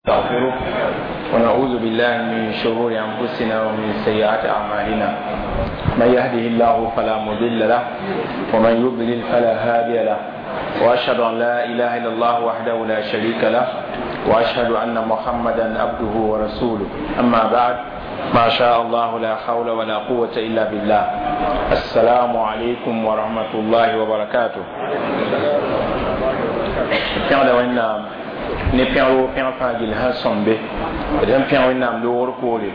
نستغفره ونعوذ بالله من شرور أنفسنا ومن سيئات أعمالنا. من يهده الله فلا مضل له ومن يضلل فلا هادي له، وأشهد أن لا إله إلا الله وحده لا شريك له، وأشهد أن محمدا عبده ورسوله. أما بعد، ما شاء الله لا حول ولا قوة إلا بالله. السلام عليكم ورحمة الله وبركاته. Pẽgda Wẽnnaam ne pẽgro pẽg fãa gill sẽn sõmbe d sẽn pẽg Wẽnnaam loogr poore.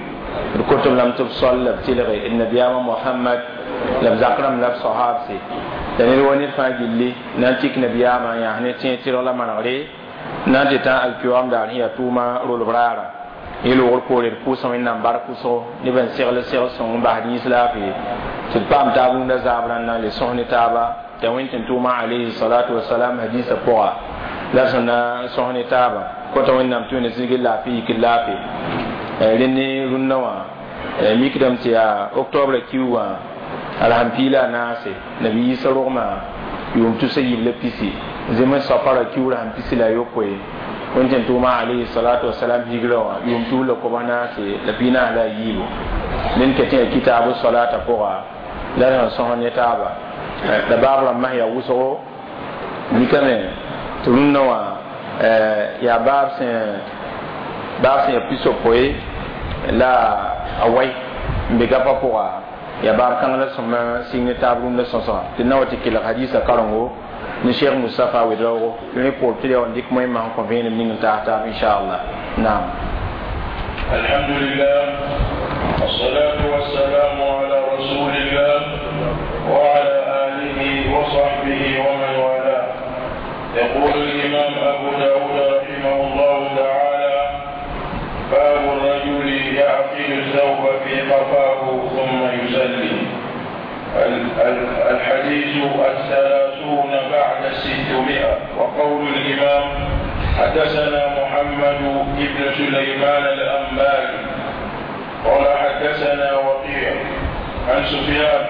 D kotb lame tɩ b sol la b tɩlge d nabiyaamã Mohamad la b zak rãmb la b sahaabse la ned wa ned fãa gilli na n tik nabiyaamã n yãs ne tẽeg tɩrg la manegre na n tɩ tã alkiyoam daar sẽn yaa tʋʋma rolb raara. Yẽ loogr poore d pʋʋsã Wẽnnaam bark wʋsgo neb n segl segl sõng n basd yĩns laafɩ tɩ d paam taab rũndã zaab rãnda n le sõs ne taaba t'a wẽn tɩ n tʋʋma alayhi salatu wasalam hadisa pʋga la sẽn na n sõs ne taaba kota Wẽnnaam tɩ wẽnd zĩig laafɩ yik laafɩ. Rẽnd rũndã wã mikdame tɩ yaa octobre kiu wã alsam piila a naase nabi Yiisa rogmã yʋʋm 320 zem n safara kiuurã sẽn 16 wẽnd tɩ n tʋʋma alayhi salatu wasalam higrã wã yʋʋm 2014. Ned ket yaa kitaabu salata pʋga la sẽn sõs ne taaba la baab rãmbã sẽn yaa wʋsgo mikame tɩ rũndã wã yaa baab sẽn yaa pisopoe la a wai n be gapa pʋga yaa baab kãng la sõma sɩng ne taab rũndã sõsga tɩ na wa tɩ kelg hadisa karengo ni Cheikh Moustapha Ouedraogo ne pour tɩ yaa n dɩk moẽmã sẽn kõ vẽenem ning n taas taab inchallah. Naam. الحمد لله والصلاة والسلام على رسول الله وعلى آله وصحبه ومن والاه. يقول الإمام أبو داود رحمه الله تعالى: باب الرجل يعقد الثوب في قفاه ثم يصلي. الحديث 630. وقول الإمام: حدثنا محمد بن سليمان الأنباري قال حدثنا وكيع عن سفيان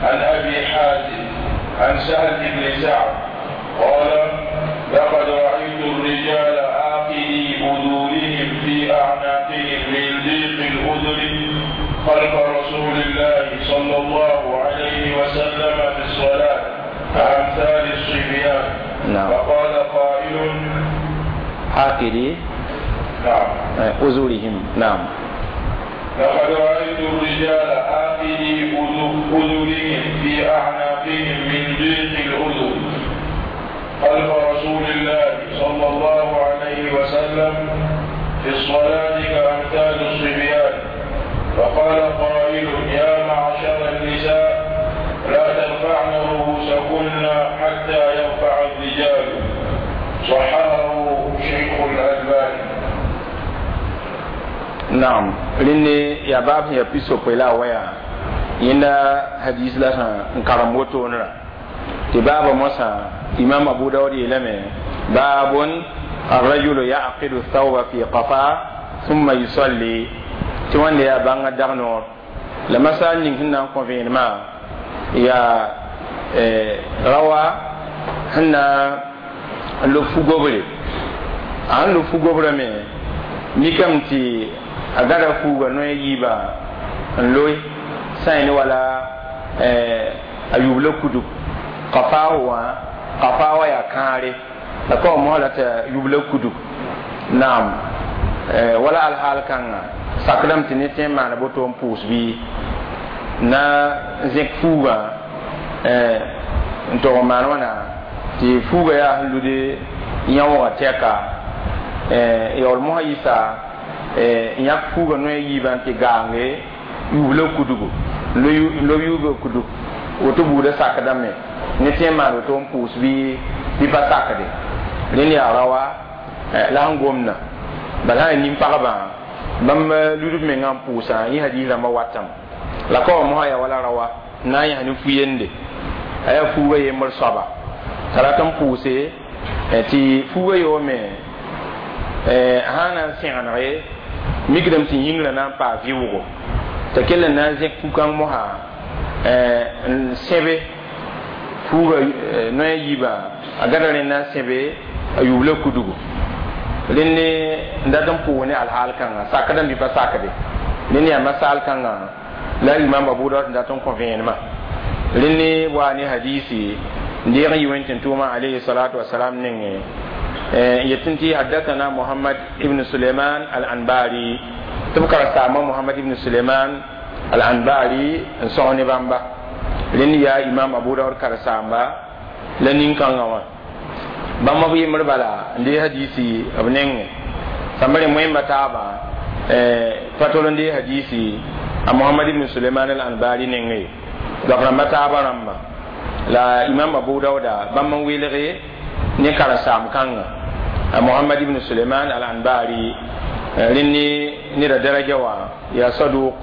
عن أبي حازم عن سهل بن سعد قال: لقد رأيت الرجال عاقدي أذورهم في أعناقهم من ضيق الأذن خلف رسول الله صلى الله عليه وسلم في الصلاة كأمثال الصبيان. نعم. فقال قائل: عاقدي نعم. أزورهم. نعم. لقد رأيت الرجال عاقدي أذرهم في أعناقهم من ضيق الأذن خلف رسول الله صلى الله عليه وسلم في الصلاة كأمثال الصبيان. فقال قائل: يا معشر النساء لا ترفعن رؤوسكن حتى يرفع الرجال. صححه شيخ الألباني. نعم. Rẽnd yaa baab sẽn yaa pisopoe la a waya yẽnda hadis la sẽn n karem wotoonrã tɩ baaba mosã imam Abu Daud yeelame: baabun الرجل يعقد الثوب في قفاه ثم يصلي. Tɩ wãnda yaa bãngã dag noor la masal ning sẽn na n kõ vẽenemã yaa rawa sẽn na n lob fu-gobre. A sẽn lob fu-gobrã me mikame tɩ a gada fuuga noy yiiba n loe sã n wala a yubla kudug qafaahu wã qafaa wa yaa kãare la ka wa mosã la t'a yubla kudug. Naam, wala alhaal kãnga sakdame tɩ ned tõe n maana boto n pʋʋs bɩ na n zẽk fuugã n tog n maan wãna tɩ fuuga yaa sẽn lude yãoogã tɛka yaool mosã yɩsa n yãk fuuga noy yiibã n tɩ gaange yubla kudugu n lob yuuga kudug woto buudã sakdame ne tõe n maan woto n pʋʋs bɩ pa sakde. Rẽnd yaa rawa la sẽn gomdã bala sã nin-pagbã bãmb ludb mengã n pʋʋsã yẽ hadis rãmbã watame la ka wa mosã yaa wala rawa n na n yãs ne fu-yende a yaa fuuga yembr soaba t'a rat n pʋʋse tɩ fuuga yoome sã na n sẽgenege mikdame tɩ yĩngrã na n paa vɩʋʋgo t'a kell n na n zẽk fu-kãng mosã n sẽbe fuuga noya yiibã a gada rẽnd na n sẽbe a yubla kudugu. Rẽnd n dat n pʋʋs ne alhaal kãnga sakdã bɩ pa sakde rẽnd yaa masal kãnga la imam Abu Dawud n dat n kõ vẽenemã. Rẽnd wa ne hadisi n deeg n yi wẽn tɩ tʋʋma alayhi salatu wasalam nengẽ yetɩ tɩ haddathana Muhammad ibn Suleiman al-Anbari tɩ b karen-saamba Muhammad ibn Suleiman al-Anbari n sõg ne bãmba. Rẽnd yaa imam Abu Dawud karen-saamba la nin-kãngã wã bãmb b yembr bala n dee hadisi b nengẽ sãmb rẽ moẽmba taaba pa tol n dee hadisi a Muhammad ibn Suleiman al-Anbari nengẽ goap rãmba taaba rãmba la imam Abu Dawuda bãmb n welge ne karen-saam kãnga a Muhammad ibn Suleiman al-Anbari. Rẽnd neda daraja wã yaa saduk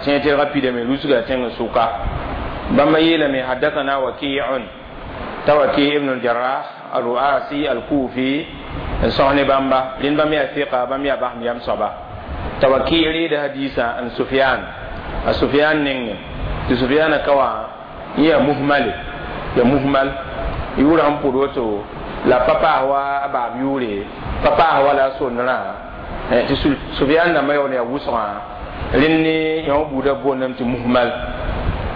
tẽeg tɩrgã pidame lusga tẽng sʋka. Bãmba yeelame haddathana Waki'un ta Waki ibn al-Jarrah al-Ru'asi al-Kufi n sõs ne bãmba. Rẽnd bãmb yaa fiqa, bãmb yaa basem yam soaba. Ta Waki reeda hadisa n Sufyan, a Sufyan nengẽ tɩ Sufyana ka wã yẽ yaa muhmale, ya muhmal yʋʋrã n pʋd woto la pa paas wa a baab yʋʋre, pa paas wa la a sondrã tɩ Sufyan dãmbã yaool yaa wʋsgã. Rẽnd ne yõ buudã boondame tɩ muhmal.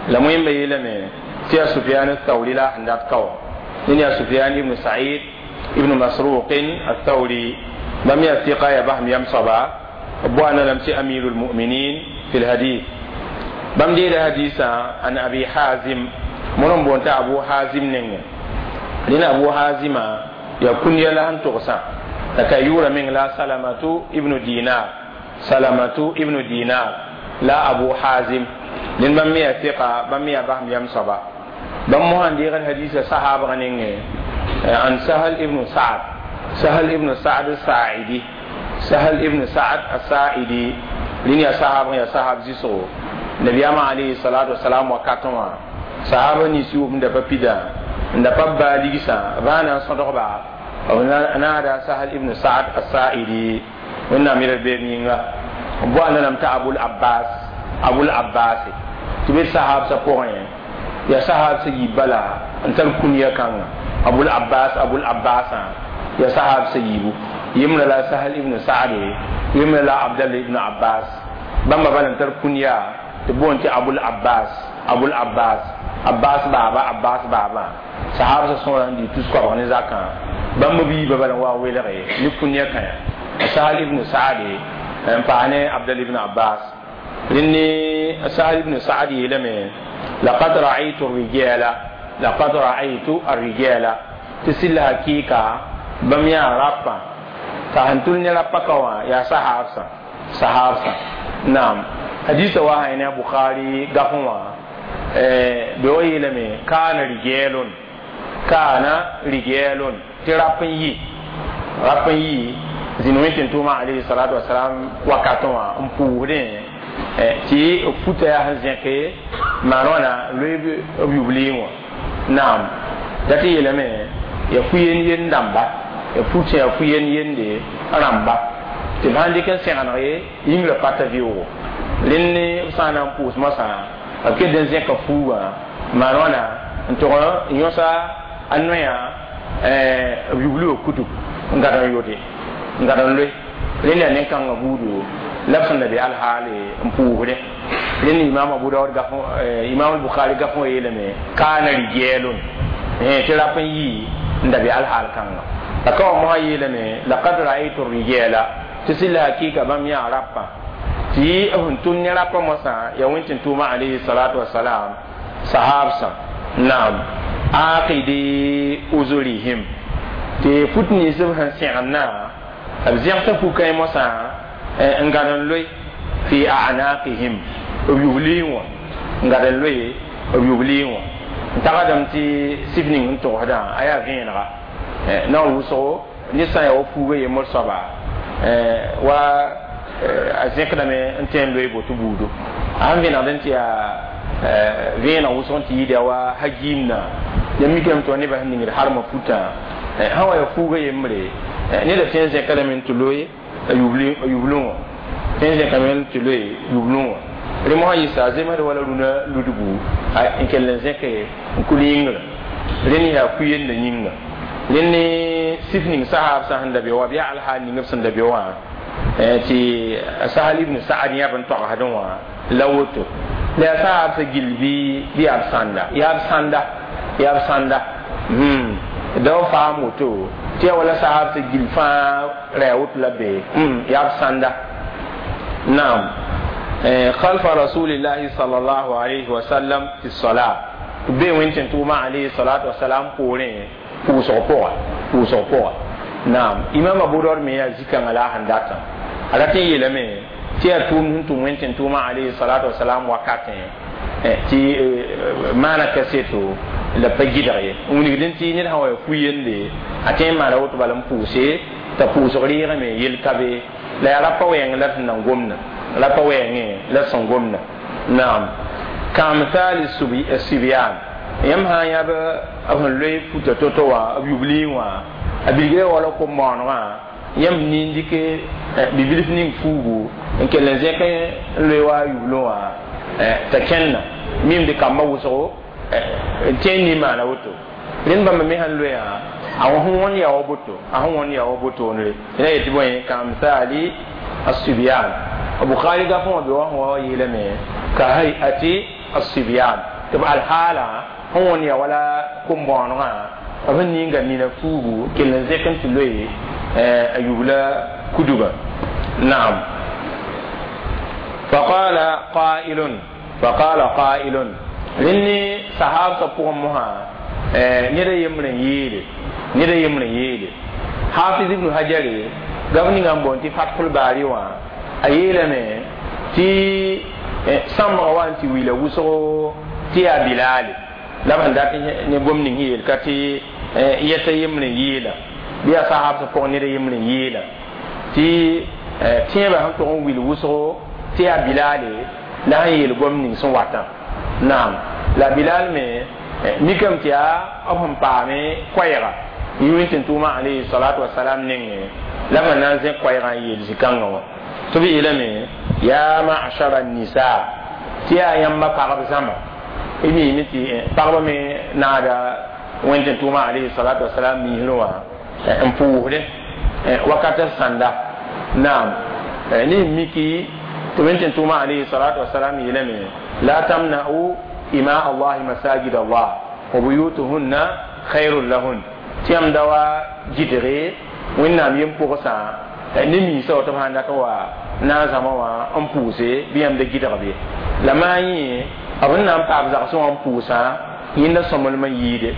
La wẽmba yeelame tɩ yaa Sufyan Athawri la sẽn dat ka wã. Ned yaa Sufyan ibn Sa'id ibn Masruq Athawri, bãmb yaa fiqa, yaa basem yam soaba, b boanda lame tɩ amirul muminin fi lhadith. Bãmb deeda hadisã an Abi Hazim mõr n boond t'a Abu Hazim nengẽ. Rẽnd Abu Hazima yaa kũndiya la sẽn togsã la ka yʋʋra meng la Salamatu ibnu Dinar, Salamatu ibnu Dinar la Abu Hazim. Rẽnd bãmb me yaa fiqa, bãmb me yaa basem yam soaba. Bãmb mosã n deegd hadisa sahaabg nengẽ an Sahal ibn Sa'd, Sahal ibn Sa'd Sa'idi, Sahal ibn Sa'd as-Sa'idi. Rẽnd yaa sahaabg, yaa sahab zɩsgo nabiyaamã alayhi salatu wasalam wakatẽ wã sahaba nins yʋʋm n da pa pida n da pa baa ligsã b na n sõdgba b naada Sahal ibn Sa'd as-Sa'idi. Wẽnnaam yɛl beem yĩnga b boanda lame t'a Abul Abbas, Abul Abbas tɩ be sahabsã pʋgẽ yaa sahabsã yiib bala n tar kũniya kãnga Abul Abbas, Abul Abbasã yaa sahabsã yiibu. Yembrã la Sahal ibn Sa'd, yembrã la Abdallah ibn Abbas. Bãmba bala n tar kũniya tɩ boond tɩ Abul Abbas, Abul Abbas, Abbas baaba, Abbas baaba. Sahabsã sõora n dɩ tus-koabg ne zakã bãmb b yiibã bala n wa n welge ne kũniya kãya Sahal ibn Sa'd n paas ne Abdallah ibn Abbas. Rẽnd ne Sahal ibn Sa'd yeelame laqad ra'aytu ar-rijala, laqad ra'aytu ar-rijala tɩ sɩlla hakɩɩka bãmb yaa rapa t'a sẽn tʋl ne rapa ka wã yaa sahabsã, sahabsã. Naam, hadisa wa sã ne a Bukhari gafẽ wã be wa yeelame kaana rijalun, kaana rijalun tɩ rap n yi, rap n yi zĩnd wẽn tɩ tʋʋmã alayhi salatu wasalam wakatẽ wã n pʋʋsdẽ tɩ b futa yaa sẽn zẽke maan wãna loe b yubli wã. Naam, dat tɩ yeelame yaa fu-yen-yen dãmba, yaa fut yaa fu-yen-yende rãmba tɩ b sãn dɩk n sẽgeneg ye yĩngrã pa ta vɩʋʋgo. Rẽnd ne b sã n na n pʋʋs moasã b ket n zẽka fuugã maan wãna n tʋg n yõsa a noyã b yubli wã kutug n gad n yote n gad n loe. Rẽnd yaa nen-kãngã buudu la b sẽn da be alhaale n pʋʋsdẽ. Rẽnd imam Abu Dawud gaf, imam Bukhari gaf wã yeelame kaana rijalun tɩ rap n yi n da be alhaal kãnga. La ka wã mosã yeelame laqad ra'aytu rijala tɩ sɩlla hakɩɩka bãmb yaa rapã tɩ b sẽn tʋm ne rapã moasã yaa wẽn tɩ tʋʋma alayhi salatu wasalam sahabsã. Naam, aqidi uzurihim tɩ fut nins b sẽn sẽgendã b zẽgsa fu-kãe moasã n gad n loe fi a'naqihim b yubli wã, n gad n loe b yubli wã n tagsdame tɩ sif ning n togsdã a yaa vẽenega naoor wʋsgo ned sã n yaa wa fuuga yembr soaba wa a zẽkdame n tõe n loe boto buudo a sẽn vẽnegd n tɩ yaa vẽeneg wʋsg n tɩ yɩɩda wa hagiimna ya mikame tɩ wa nebã sẽn ningd harmã futã sã wa yaa fuuga yembre neda tõe n zẽkdame n tɩ loe a yublẽ wã, tõe n zẽkame tɩ loe yublẽ wã. Rẽ mosã yɩsa a zemsd wala rũnã ludgu n kell n zẽke n kul yĩngrã. Rẽnd yaa ku-yenda yĩnga. Rẽnd sif ning sahab sã sẽn da be wa, bɩ yaa alhaal ning b sẽn da be wã tɩ Sahal ibn Saad yãb n togsdẽ wã la woto. La yaa sahab sã gill bɩ yaa b sãnda, yaa b sãnda, yaa b sãnda. Da f faam woto tɩ yaa wala sahab sã gill fãa ra yaa woto la be, yaa b sãnda. Naam, خلف رسول الله صلى الله عليه وسلم في الصلاة be wẽn tʋʋma alayhi salatu wasalam poorẽ pʋʋsg pʋga, pʋʋsg pʋga. Naam, Imam Abu Daud me yaa zikãngã la a sẽn datã, a rat n yeelame tɩ yaa tʋʋmd sẽn tʋm wẽn tʋʋma alayhi salatu wasalam wakatẽ tɩ maana kaseto la pa gɩdg ye n wilgdẽ tɩ ned sã wa ya fu-yende a tõe n maana woto bala n pʋʋse t'a pʋʋsg reegame yel ka be la yaa rapa wɛɛng la sẽn nan gomda, rapa wɛɛngẽ la sẽn gomda. Naam, kaamthali sibyan, yãmb sã n yãb b sẽn loe futa to-to wã, b yublẽ wã a bilgra wala kom-bõonegã, yãmb nin dɩk bibilf ning fuugu n kell n zẽk n loe wa a yublẽ wã t'a kẽnna mimd kambã wʋsgo n tõe n nin maana woto. Rẽnd bãmba me sãn loeã a sẽn wõnd yaa wa boto, a sẽn wõnd yaa wa botone rẽ yetɩ bõe kaamthali asibyan. Bukhari gafẽ wã be wa sẽn wa yeelame ka hayati asibyan tɩ b alhaala sẽn wõnd yaa wala kom-bõonegã b sẽn ninga nina fuugu kell n zẽk n tɩ loe a yubla kudugã. Naam, faqala qailun, faqala qailun, rẽnd ne sahabsã pʋgẽ mosã ned a yembr n yeele, ned a yembr n yeele. Hafiz ibnu Hajare gaf ninga n boond tɩ Fathul Baari wã a yeelame tɩ sãmbga wa n tɩ wila wʋsgo tɩ yaa Bilaale la b sẽn dat ne gom ning sẽn yeel ka tɩ yɛta yembr n yeela bɩ yaa sahabsã pʋgẽ ned a yembr n yeela tɩ tẽebã sẽn tog n wil wʋsgo tɩ yaa Bilaale la sẽn yeel gom ning sẽn watã. Naam, la Bilal me mikame tɩ yaa b sẽn paame koɛɛga n yʋ tɩ tʋʋma alayhi salatu wasalam nengẽ la b sẽn na n zẽk koɛɛgã n yeel zĩ-kãngã wã tɩ b yeelame yaa ma'shara nisa tɩ yaa yãmba pagb zãma. Y miime tɩ pagba me naada wẽn tɩ tʋʋma alayhi salatu wasalam miisrẽ wã n pʋʋsdẽ wakata sãnda. Naam, ne miki tɩ wẽn tɩ tʋʋma alayhi salatu wasalam yeelame la tamna'u ima Allahi masajid Allah wa buyutuhunna khairun lahun, tɩ yãmb da wa gɩdge Wẽnnaam yem pʋgsã ne miisã wa tɩ b sãn dat n wa na n zãma wã n pʋʋse bɩ yãmb da gɩdg be la maa yẽ b sẽn na n paam zagsẽ wã n pʋʋsã yẽnda sõmblem n yɩɩde.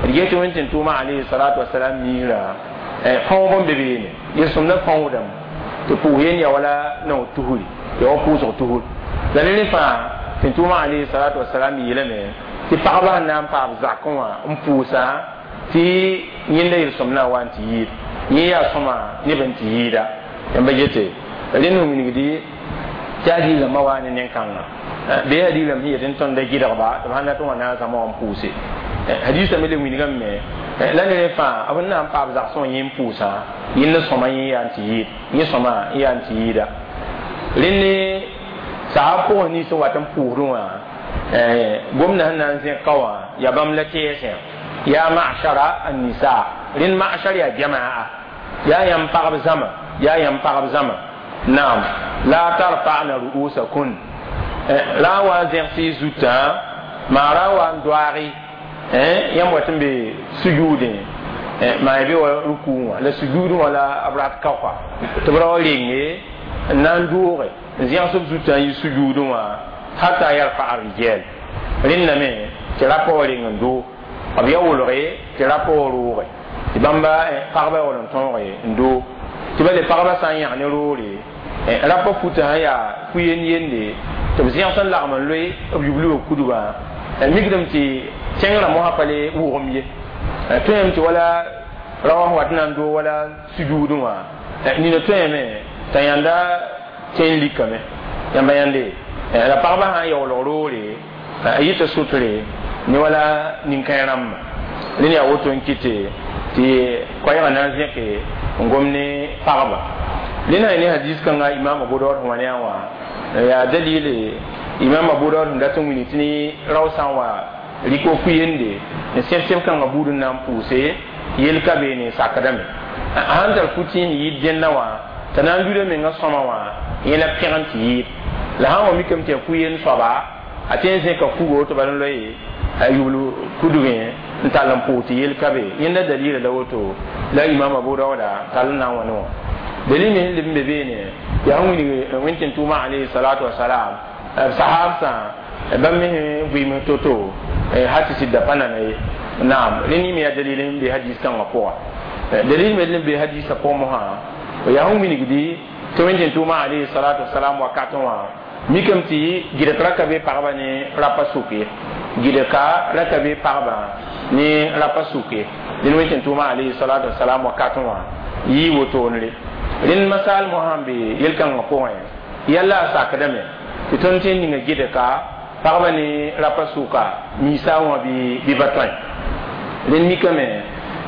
D get tɩ wẽn tɩ tʋʋma alayhi salatu wasalam miisrã fãoog n be beene yel-sõmdã fãoodame tɩ pʋʋs yen yaa wala nao tusri, yaa wa pʋʋsg tusr la ne rẽ fãa tɩ tʋʋma alayhi salatu wasalam yeelame tɩ pagba sẽn na n paam zakẽ wã n pʋʋsã tɩ yẽnda yel-sõmdã wa n tɩ yɩɩd yẽ yaa sõma neb n tɩ yɩɩda. Yãmba gete rẽnd sẽn wilgdi tɩ a diilame wa ne nen-kãngã bɩ a diilame sẽn yet n tõnd da gɩdgba tɩ b sãn dat n wa na n zãma wã n pʋʋse hadiisã me le wilgame me la ne rẽ fãa b sẽn na n paam zagsẽ wã yẽ n pʋʋsã yẽnd sõma yẽ yaa n tɩ yɩɩd yẽ sõma yaa n tɩ yɩɩda. Rẽnd sahab pʋgẽ nins n wat n pʋʋsdẽ wã gomdã sẽn na n zẽk ka wã yaa bãmb la tɛɛsẽ yaa ma'shara an-nisa. Rẽnd ma'shar yaa jamaa, yaa yãmb pagb zãma, yaa yãmb pagb zãma. Naam, la tarfa'na ru'usakun ra n wa n zẽgs y zutã maa ra n wa n doaage yãmb wat n be sujuudẽ maa be wa rukuu wã la sujuudẽ wã la b rat kaoka tɩ b ra wa renge n na n dooge n zẽgs b zutã n yɩ sujuudẽ wã hata yarfa'a rijal. Rẽndame tɩ rapa wa reng n doo b ya wolge tɩ rapa wa rooge tɩ bãmba pagba wall n tõoge n doo tɩ ba le pagba sã n yãg ne roore rapa futã sã yaa fu-yend yende tɩ b zẽgs n lagm n loe b yubl wa kudgã mikdame tɩ tẽngrã mosã pa le wʋgem ye tõeme tɩ wala ra wã sẽn wat n na n doo wala sujuudẽ wã nina tõeme t'a yãnda tẽn likame yãmba yãnde la pagba sã n yaoolg roore a yɩta sotre ne wala nin-kãe rãmba rẽnd yaa woto n kɩte tɩ koɛɛgã na n zẽke n gom ne pagba. Rẽnd sã ne hadis kãnga Imam Abu Daud sẽn wa ne a wã yaa dalile Imam Abu Daud sẽn dat n wilg tɩ ne rao sã n wa rɩk wa ku-yende n sẽb sẽb kãngã buud n na n pʋʋse. Yel ka beene sakdame sãn tar fu-tĩis yɩɩd dẽnna wã t'a na n luda menga sõma wã yẽ la pẽg n tɩ yɩɩd la sãn wa mikame tɩ yaa fu-yen soaba a tõe n zẽka fugo tɩ bal n loe a yubl kudgẽ n tall n pʋʋg tɩ yel ka be. Yẽnda dalila la woto la imam Abu Dauda tall n na n wa ne wã. Dalil me sẽn leb n be beene yaa sẽn wilg Wẽnd tɩ tʋʋma alayhi salatu wasalam b sahabsã bãmb me sẽn vɩɩms to-to hal tɩ sɩd da pa nana ye. Naam, rẽnd yẽ me yaa dalil sẽn be hadis kãngã pʋga. Dalil me n be hadisã pʋgẽ mosã yaa sẽn wilgdi tɩ Wẽnd tɩ tʋʋma alayhi salatu wasalam wakatẽ wã mikame tɩ gɩdg ra ka be pagba ne rapa sʋk ye, gɩdka ra ka be pagba ne rapa sʋk ye. Dẽnd Wẽnd tɩ tʋʋma alayhi salatu wasalam wakatẽ wã yɩ wotone. Rẽnd masaal mosã n be yel-kãngã pʋgẽ yalla a sakdame tɩ tõnd tõe n ninga gɩdka pagba ne rapa sʋka miisa wã bɩ ba tõe. Rẽnd mikame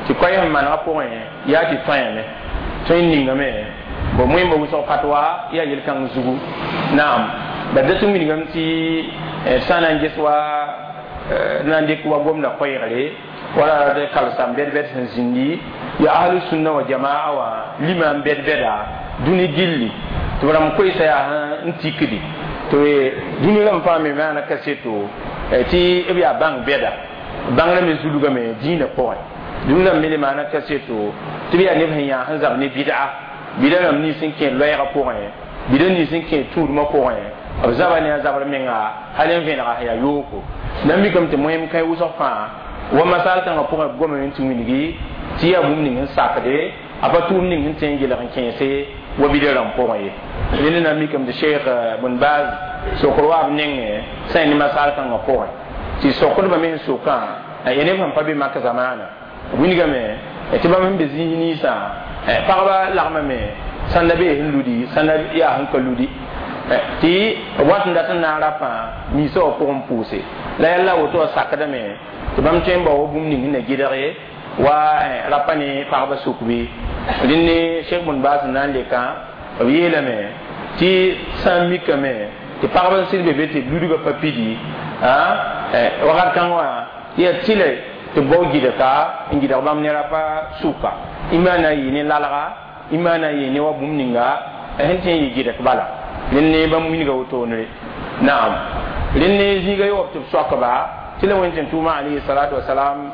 tɩ koɛɛ sẽn manegã pʋgẽ yaa tɩ tõeame tõe n ningame bo moẽmba wʋsg fatwa yaa yel-kãng zugu. Naam, ba dat n wilgame tɩ sã n na n ges wa na n dɩk wa gomda koɛɛgre wala d kalsam bɛd-bɛd sẽn zĩndi yaa ahlu sunna wa jamaa wã lima n bɛd-bɛda dũni gilli tɩ b rãmb koeesa yaa n tikdi tɩ dũni rãmb fãa me maana kaseto tɩ b yaa bãng bɛda bãngrã me zulgame dĩinã pʋgẽ. Dũni rãmb me le maana kaseto tɩ b yaa neb sẽn yaa sẽn zab ne bɩd'a bɩda rãmb nins n kẽ loɛɛgã pʋgẽ, bɩda nins n kẽ tũudmã pʋgẽ, b zaba ne a zabr menga hal n vẽnega sẽn yaa yooko. Na n mikame tɩ moẽm kãe wʋsg fãa wa masal kãngã pʋgẽ b gomame tɩ wilgi tɩ yaa bũmb ning sẽn sakde a pa tʋʋm ning sẽn tõe n gelg n kẽese wa bida rãmb pʋgẽ ye. Rẽnd na n mikame tɩ Sheikh Bun Baz sokr wa b nengẽ sã ne masal kãngã pʋgẽ tɩ sokdbã me sẽn sokã ya neb sẽn pa be mak zamaana wilgame tɩ bãmb sẽn be zĩis ninsã pagba lagmame sãnda bee sẽn ludi sãnda yaa sẽn ka ludi tɩ b wat n dat n na n rapã miisã wã pʋgẽ pʋʋse la yalla woto wã sakdame tɩ bãmb tõe n bao wa bũmb ning sẽn na gɩdg wa rapa ne pagba sʋk bɩ. Rẽnd ne Sheikh Bun Baas n na n lekã b yeelame tɩ sã n mikame tɩ pagb n sɩd be be tɩ ludgã pa pidi wakat kãng wã yaa tɩle tɩ b bao gɩdka n gɩdg bãmb ne rapa sʋka imaa na n yɩ ne lalga, imaa na n yɩ ne wa bũmb ninga sẽn tõe n yɩ gɩdk bala. Rẽnd ne bãmb wilga wotone. Naam, rẽnd ne zĩiga yaoop tɩ b soakba tɩ la Wẽnd tɩ tʋʋma alayhi salatu wasalam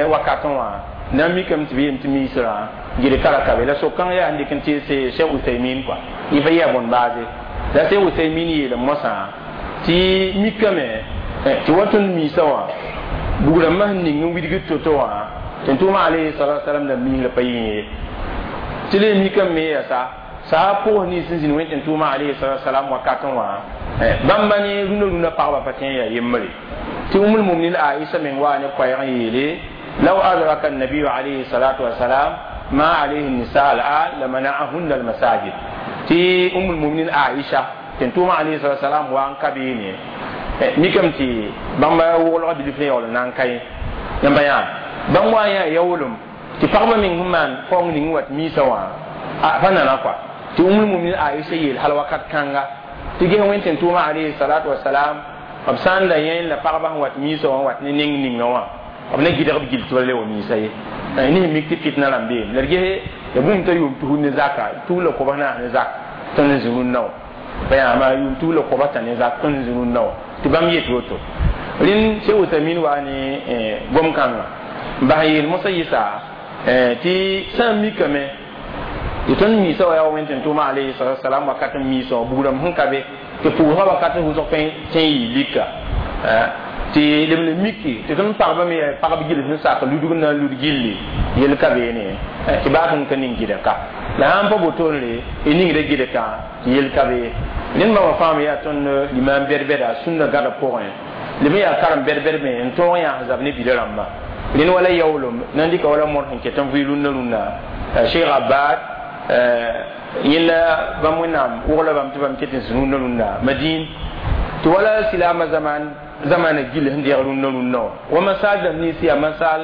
wakatẽ wã na n mikame tɩ b yeem tɩ miisrã gɩdka ra ka be la sok-kãng yaa n dɩk n teese Cheikh Usaymin kɔa yẽ pa yaa bõn baase la Cheikh Usaymin yeelame mosã tɩ mikame tɩ wa tõnd miisã wã bugrãmbã sẽn ning n widgd to-to wã tɩ tʋʋma alayhi salatu wasalam la miisrã pa yẽ ye tɩ le mikame me yasa saa pʋgs nins n zĩnd Wẽnd tɩ tʋʋma alayhi salatu wasalam wakatẽ wã bãmba ne rũnã rũnã pagba pa tõe n yaa yembre tɩ Umul Muminin Aisha meng waa ne koɛɛg n yeele law adraka annabiyu alayhi salatu wasalam ma alayhi nisa al'an lamana'ahunna almasajid tɩ Umul Muminin Aisha tɩ tʋʋma alayhi salatu wasalam wa n ka beene mikame tɩ bãmba woglga bilf ne yaool n na n ka yẽ yãmba yã bãmb wa n yaa yaoolem tɩ pagba meng sẽn maan faoong ning n wat miisã wã pa nana kɔa tɩ Umul Muminin Aisha yeel hal wakat kãnga tɩ ges Wẽnd tɩ tʋʋma alayhi salatu wasalam b sã n la yẽ la pagba sẽn wat miisã wã n wat ne neng ninga wã b na gɩdg b gill tɩ ba le wa miisã ye ne sẽn mik tɩ fitna rãmb beem la d ges ya bũmb t'a yʋʋm tus ne zaka tus la kobs naas ne zak tõnd n zĩ rũnnã wã pa yãama yʋʋm tus la kobs tã ne zak tõnd n zĩ rũnnã wã tɩ bãmb yet woto. Rẽnd Cheikh Usamin waa ne gom-kãngã n bas n yeel mosã yɩsa tɩ sã n mikame tɩ tõnd miisã wa yaa Wẽnd tɩ tʋʋma alayhi salatu wasalam wakat n miisã wã bugrãmb sẽn ka be tɩ pʋʋsgã wakat n wʋsg tõe n yɩ lika tɩ leb le miki tɩ tõnd pagba me pagb gill sẽn sak ludg n na n lud gilli yel ka beene tɩ baa tõnd ka ning gɩdka la sãn pa botoonre y ningda gɩdkã tɩ yel ka be. Rẽnd bãmba fãa yaa tõnd limaam bɛd-bɛda sũnna gãda pʋgẽ leb n yaa karem bɛd-bɛd me n tõog n yaa sẽn zab ne bida rãmba. Rẽnd wala yaoolem na n dɩka wala mor sẽn ket n vɩ rũnnã rũnnã Cheikh Abbad yẽnda bãmb Wẽnnaam wogla bãmb tɩ bãmb ket n zĩ rũnnã rũnnã Madin tɩ wala silama zaman zamana gill sẽn deeg rũnnã rũnnã wã wa masal dãmb nins yaa masal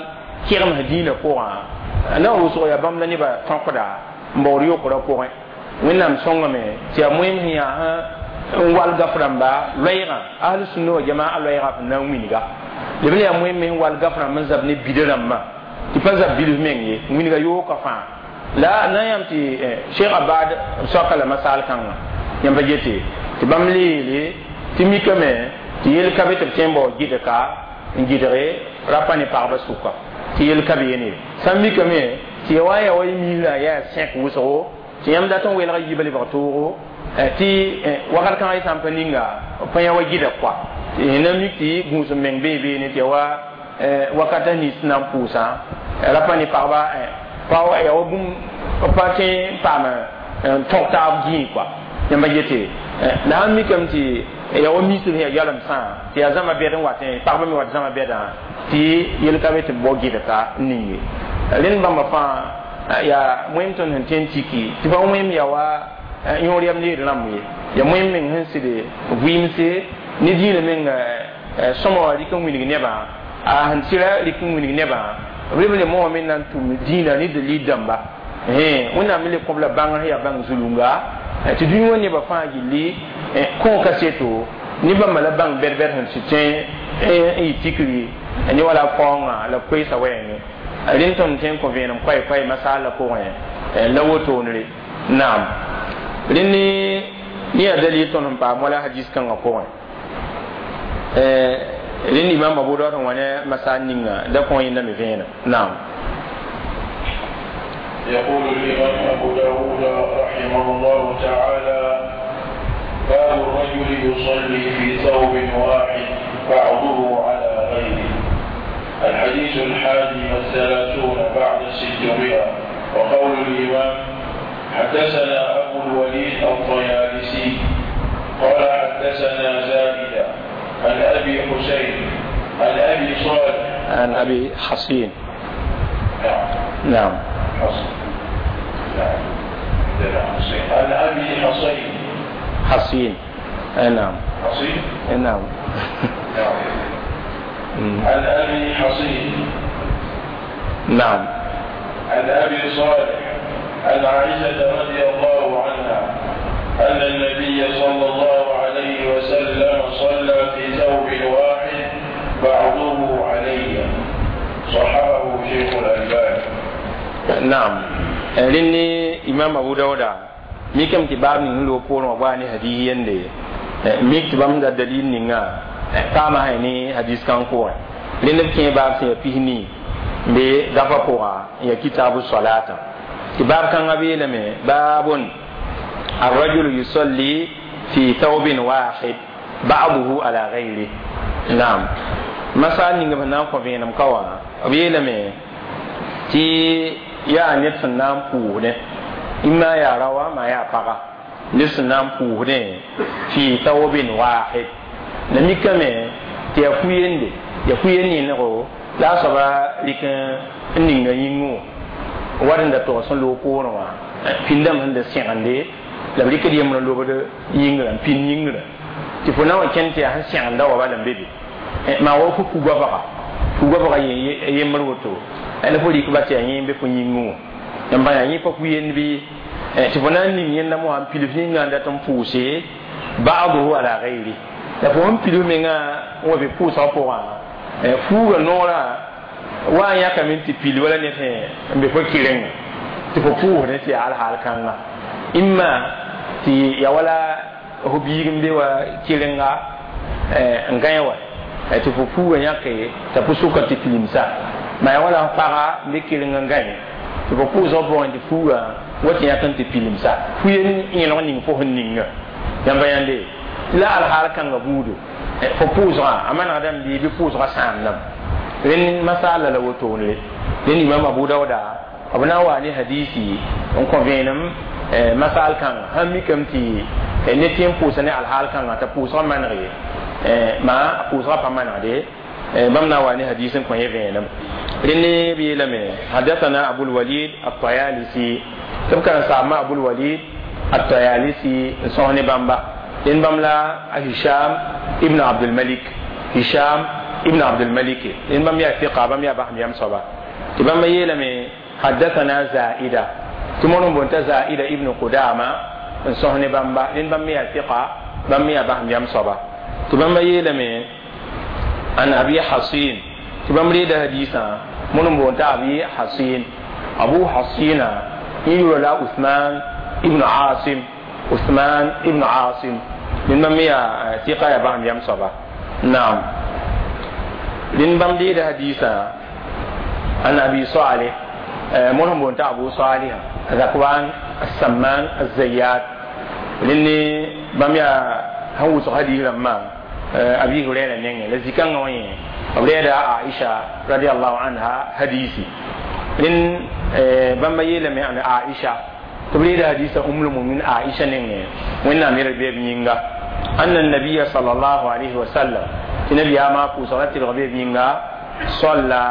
kɩgemsã dĩinã pʋgã na wʋsg yaa bãmb la nebã tõkda n baood yokra pʋgẽ. Wẽnnaam sõngame tɩ yaa moẽm sẽn yaa n wall gaf rãmba loɛɛgã ahl sũnna wa jamaa loɛɛgã sẽn na n wilga leb n yaa moẽm me sẽn wall gaf rãmb n zab ne bida rãmbã. Tɩ pa zab bilf meng ye, wilga yooka fãa la na yãmb tɩ Sheikh Abad soaka la masaal kãngã yãmb pa gete tɩ bãmb le yeele tɩ mikame tɩ yel ka be tɩ b tõe n bao gɩdka n gɩdge rapa ne pagba sʋka, tɩ yel ka be yene. Sã n mikame tɩ ya wa yaa wa y miisrã yaa sẽk wʋsgo tɩ yãmb dat n welga yiibã lebg toogo, tɩ wakat kãngã y sã n pa ninga pa yã wa gɩdg koa tɩ na mik tɩ gũus n meng bee beene tɩ ya wa wakata nins na n pʋʋsã rapa ne pagba pa ya wa bũmb pa tõe n paam n tõg taab gĩig koa. Yãmba gete, la sãn mikame tɩ ya wa misb sẽn yaa yalemsã tɩ yaa zãma bɛd n watẽ, pagba me wat zãma bɛdã, tɩ yel ka be tɩ b bao gɩdka n ning ye. Rẽnd bãmba fãa yaa wẽm tõnd sẽn tõe n tiki tɩ pa wẽm ya wa yõor yam leed rãmb ye, ya wẽm meng sẽn sɩd vɩɩmse ne dĩinã meng sõma wã rɩk n wilg nebã, a sẽn sɩra rɩk n wilg nebã, b reb le moogame na n tʋm dĩinã ne dalil dãmba. Wẽnnaam me le kõb la bãngr sẽn yaa bãng zulunga tɩ dũni wã nebã fãa gilli kõ kaseto ne bãmba la bãng bɛd-bɛd sẽn sɩ tõe n yɩ tikri ne wala faoongã la koeesa wɛɛngẽ. Rẽnd tõnd tõe n kõ vẽenem koɛɛ-koɛɛ masaal la pʋgẽ la wotone. Naam, rẽnd ne yaa dalil tõnd sẽn paam wala hadis kãngã pʋgẽ. Rẽnd imam Abu Dawud sẽn wa ne masaal ninga da kõ yẽnda me vẽenem. Naam. يقول الإمام أبو داود رحمه الله تعالى: باب الرجل يصلي في ثوب واحد بعضه على غيره. الحديث 631 بعد 600. وقول الإمام: حدثنا أبو الوليد الطيالسي قال حدثنا زائدة عن أبي حسين عن أبي صالح عن أبي حصين. نعم. نعم. حصين. نعم. عن أبي حصين. حصين. نعم. حصين. نعم. نعم. عن أبي حصين. نعم. عن أبي صالح عن عائشة رضي الله عنها أن النبي صلى الله عليه وسلم صلى في ثوب واحد بعضه عليه. صححه شيخ الألباني. نعم. Rẽnd imam Abu Dauda mikame tɩ baab ning n loog poorẽ wã baa ne hadis yende, mik tɩ bãmb da dalil ninga paama sã ne hadis kãng pʋgẽ. Rẽnd b kẽ baab sẽn yaa 40 n be gafa pʋga n yaa kitabu salatã, tɩ baab kãngã beelame: baabun الرجل يصلي في ثوب واحد بعضه على غيره. نعم. Masal ninga b na n kõ vẽenem ka wã, b yeelame tɩ yaa ned sẽn na n pʋʋsdẽ, ĩmma yaa raoã maa yaa paga, ned sẽn na n pʋʋsdẽ fi thawbin wahid, la mikame tɩ yaa fu-yende, yaa fu-yen yẽnego la a soaba rɩk n ninga yĩngẽ wã wat n da tog sẽn loog poorẽ wã pĩndame sẽn da sẽgende la b rɩkd yembr n lobd yĩngrã n pĩnd yĩngrã tɩ fo na wa kẽnd tɩ yaa sẽn sẽgenda wa bala n be be maa wa fo kugoabga yembr woto la fo rɩk ba tɩ yaa yẽ n be fo yĩngẽ wã n bã yaa yẽ pa fu-yend bɩ tɩ fo na n ning yẽndame wã n pilf yĩngã n dat n pʋʋse ba'duhu ala gayri, la fo sẽn pilf mengã n wa be pʋʋsgã pʋgã fuuga noorã wa n yãkame tɩ pil wala ned sẽn n be fo kɩrenga tɩ fo pʋʋsdẽ tɩ yaa alhaal kãnga ĩmma tɩ ya wala fo biig n be wa kɩrenga n gãe wa tɩ fo fuuga yãke t'a pʋ-sʋka tɩ pilimsa, ma ya wala f paga n be kɩreng n gãe tɩ fo pʋʋsgã pʋgẽ tɩ fuuga wa tɩ yãk n tɩ pilimsa fu-yen yẽlg ning fo sẽn ninga. Yãmba yãnde tɩ la alhaal kãnga buudo fo pʋʋsgã a manegdame bɩ bɩ pʋʋsgã sãamdame. Rẽnd masaala la wotone. Rẽnd imam Abu Dauda b na n wa ne hadisi n kõ vẽenem masaal kãnga sãn mikame tɩ ned tɩ n pʋʋsa ne alhaal kãnga t'a pʋʋsgã maneg ye, maa a pʋʋsgã pa manegde. Bãmb na n wa ne hadis n kõ yẽ vẽenem. Rẽnd b yeelame: حدثنا أبو الوليد الطيالسي, tɩ b karen-saambã Abul Walid الطيالسي n sõs ne bãmba. Rẽnd bãmb la a Hisham ibn Abdulmalik, Hisham ibn Abdulmalik, rẽnd bãmb yaa fiqa, bãmb yaa basem yam soaba, tɩ bãmba yeelame: حدثنا زائدة, tɩ moor n boond t'a Zaida ibn Qudama n sõs ne bãmba. Rẽnd bãmb me yaa fiqa, bãmb me yaa basem yam soaba, tɩ bãmba yeelame: an Abi Hasin, tɩ bãmb reeda hadisã. من بونتا أبي حصين أبو حصين يقول لا عثمان ابن عاصم عثمان ابن عاصم من مميا ثقة يا بام يم صبا نعم لن بام دي حديثا عن أبي صالح من بونتا أبو صالح ذكوان السمان الزيات لني بام يا هو صحابي لما أبي هريرة نينغ لذيكان وين أبريدا عائشة رضي الله عنها حديثي لن بام يلم يعني عائشة تبريد حديث أم المؤمنين عائشة نينغ وين أمير بيب نينغا أن النبي صلى الله عليه وسلم النبي ما قصرت الغبي نينغا صلى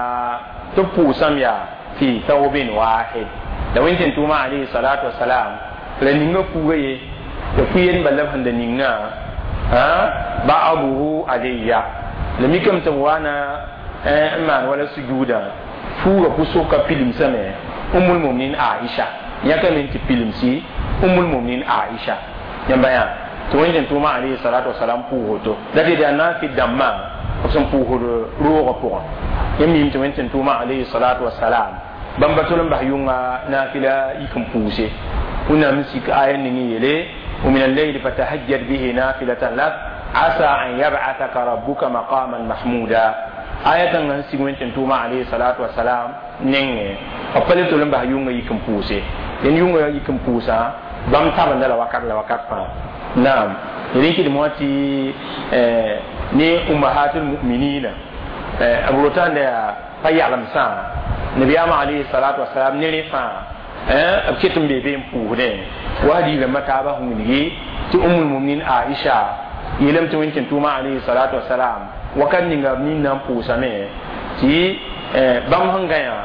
تبوسم يا في ثوب واحد لو انت توما عليه الصلاة والسلام لنينغا فوغي يفين بلب هند نينغا ها بعضه عليا لم يكن توانا أمان ولا سجودا فوغا بسوكا فيلم سمي أم المؤمنين عائشة ياك من تفيلم سي أم المؤمنين عائشة ينبيان توين توما عليه الصلاة والسلام فوغوتو لكن أنا في الدماء أقسم فوغو روغ فوغا يمين توين توما عليه الصلاة والسلام بامبتولم بحيونغا نافلة يكم فوسي ونمسك آية نيلي ومن الليل فتهجد به نافلة لك عسى أن يبعثك ربك مقاما محمودا آية نسيغ توما عليه الصلاة والسلام نينغ أقبلتولم بحيونغا يكم فوسي ين يونغا يكم فوسا بام تابن لا وكات لا وكات فا نعم يريكي دمواتي ني أمهات المؤمنين أبروتان دا فيعلم سان نبي عليه الصلاة والسلام نلي فا أبكيتم بيبين بوهدين وهذه لما تابعهم مني تأم المؤمنين عائشة يلم توين توما عليه الصلاة والسلام وكان نعم نام بوسامه تي بام هنغايا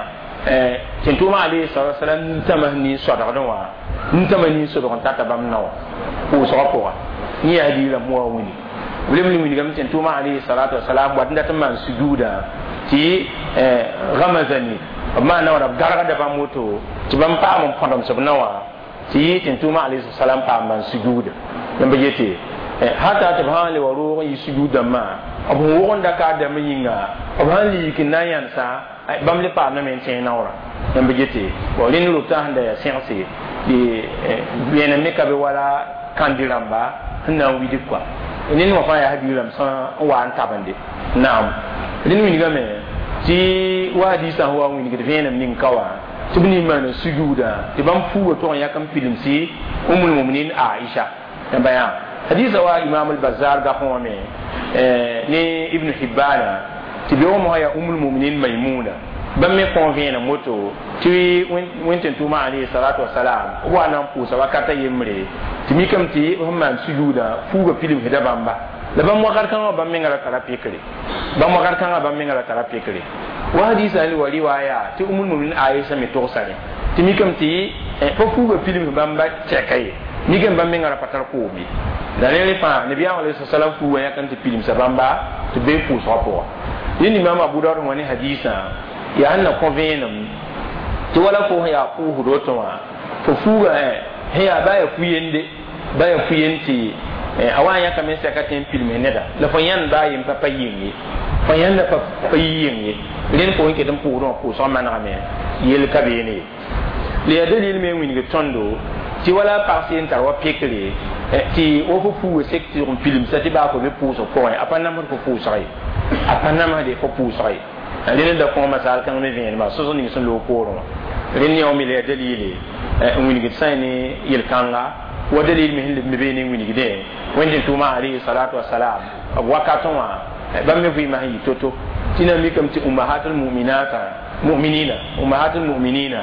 تنتوما عليه الصلاة والسلام نتمني صدقنا نتمني صدقنا تاتبام نو بوسقوا ني هذه لما وني ولم نمني كم تنتوما عليه الصلاة والسلام وعندنا تمان سجودا تي غمزني ما نورا غرغة باموتو تبام بام فندم سبنوا تي تنتوما عليه السلام بام سجود ينبغي حتى تبهان لورو يسجود ما أبو وون دكا دمينغا أبهان لي كنايان سا بام لي بام نمن سينورا ينبغي تي ولين لوتان ده سينسي دي بينا ميكا بولا كانديرامبا هنا ويدي كوا إنني ما فايا هدي لم سان وان تابندي نعم لين وينغامي تي وحديثا هو وينغ فينا من كوا تبني من سجودا تبان فوق تون يكم فيلم سي أم المؤمنين عائشة بيان حديث هو إمام البزار قامه ني ابن حبان تبيوم هي أم المؤمنين ميمونة بمي كونفين موتو تي وين توما عليه الصلاة والسلام وانا بوسا وكاتا يمري تمي كم تي هم سجودا فوق فيلم هدا بامبا لبام وقر كان بام ميغا ترى بيكري بام وقر كان بام ميغا ترى بيكري وحديث عن ولي وايا تي أم المؤمنين عائشة متوساني تي كم تي فوق فيلم بامبا تشكاي ميغا بام ميغا باتر كومي دانيل فا نبي عليه الصلاة والسلام فوق يا كان تي فيلم سبامبا تبي فوق سوبوا ين إمام أبو داود وني حديثا يا أن كونفينم تي ولا فوق يا فوق روتوا فوق هي بايا فويندي بايا فوينتي awan ya kamen sa katen filme neda la fanyan ba yim pa yingi fanyan la pa yingi len ko nke dum pour ko so man rame yel kabene le dalil me wini tondo ti wala parsi en tarwa pekle ti o fo fu sekti on film sa ti ba ko be pour so ko apa nam ko fu sai apa nam de ko pu sai len da ko masal kan me vien ma so so ni so lo ko ro len ni o mi le dalil wini sani yel kanga ودليل من مبين وين كده وين توما عليه الصلاة والسلام وقتوا بام في ما هي توتو تينا ميكم تي أمهات المؤمنات مؤمنين أمهات المؤمنين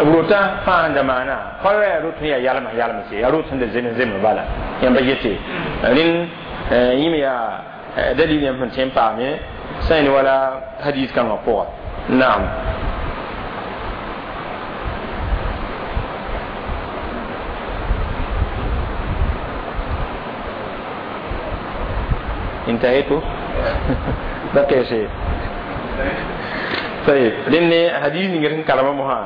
روتا فاند معنا فلا روت يا يالم يالم سي روت عند زين زين بالا ينبغي لين يميا دليل يمكن تنفعني سين ولا حديث كان قوة نعم انتهيت بقي شيء طيب لأن حديث نغير كلام مها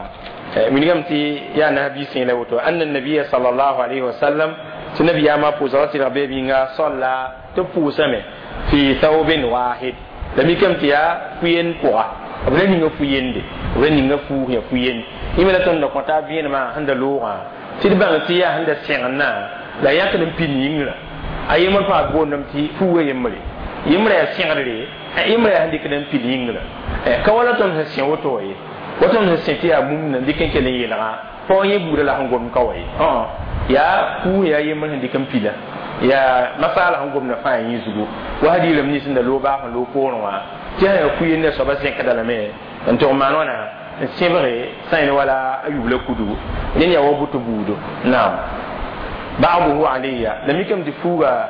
من قمتي يا نبي سين لوتو أن النبي صلى الله عليه وسلم تنبي ما بوزرات ربي بينا صلى تبوسمه في ثوب واحد لم يكن يا كوين قوا B ra ninga fu yende, b ra ninga fuug ya fu yend. Yẽ la tõnd da kõta vẽenemã sẽn da loogã tɩ d bãng tɩ yaa sẽn da sẽgendã la yãkd n pid yĩngrã. A yembr fãa boondame tɩ fuuga yembre, yembrã yaa sẽgdre, yembrã yaa sẽn dɩkd n pid yĩngrã. Ka wala tõnd sẽn sẽ woto ye, wa tõnd sẽn sẽ tɩ yaa mum na dɩk n kell n yeelga paoog yẽ buudã la sẽn gomd ka wa ye. Yaa fuug yaa yembr sẽn dɩk n pila, yaa masaala sẽn gomda fãa yẽ zugu wa hadiirame nins sẽn da loog baag sẽn loog poorẽ wã tɩ sã yaa ku-yendã soaba zẽkda lame n tʋg maan wãna n sẽbge sã yẽl wala a yubla kudugu rẽnd yaa wa buto buudo. Naam, ba'duhu alayya la mikame tɩ fuuga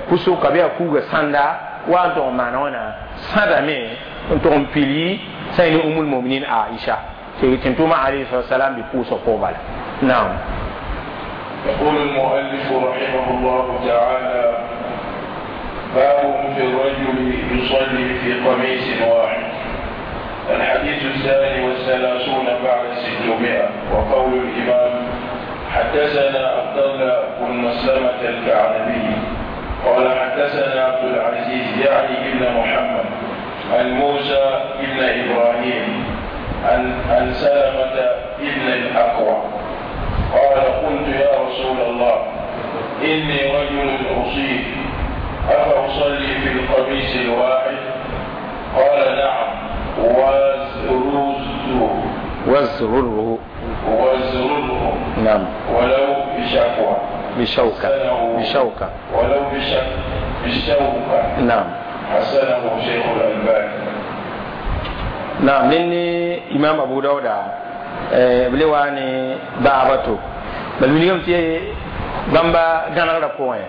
pʋsʋka bɩ yaa fuuga sãnda wa n tʋg n maana wãna sãdame n tʋg n pili sã yẽ ne umul muminin Aisha tɩ tʋʋma alayhi salam bɩ pʋʋsg pʋg bala. Naam. يقول المؤلف رحمه الله تعالى: باب في الرجل يصلي في قميص واحد. الحديث 632، وقول الإمام: حدثنا عبد الله بن مسلمة الكعنبي قال حدثنا عبد العزيز يعني ابن محمد عن موسى ابن إبراهيم عن سلمة ابن الأكوع قال: قلت يا رسول الله إني رجل أصيب، أفأصلي في القميص الواحد؟ قال: نعم، وازرره. وازرره. وازرره. نعم. ولو بشكوى. بشوكة. بشوكة. ولو بشوكة. نعم. حسنه شيخ الألباني. نعم، لأني إمام أبو داود b le waa ne baaba to bal wilgame tɩ bãmba gãnegrã pʋgẽ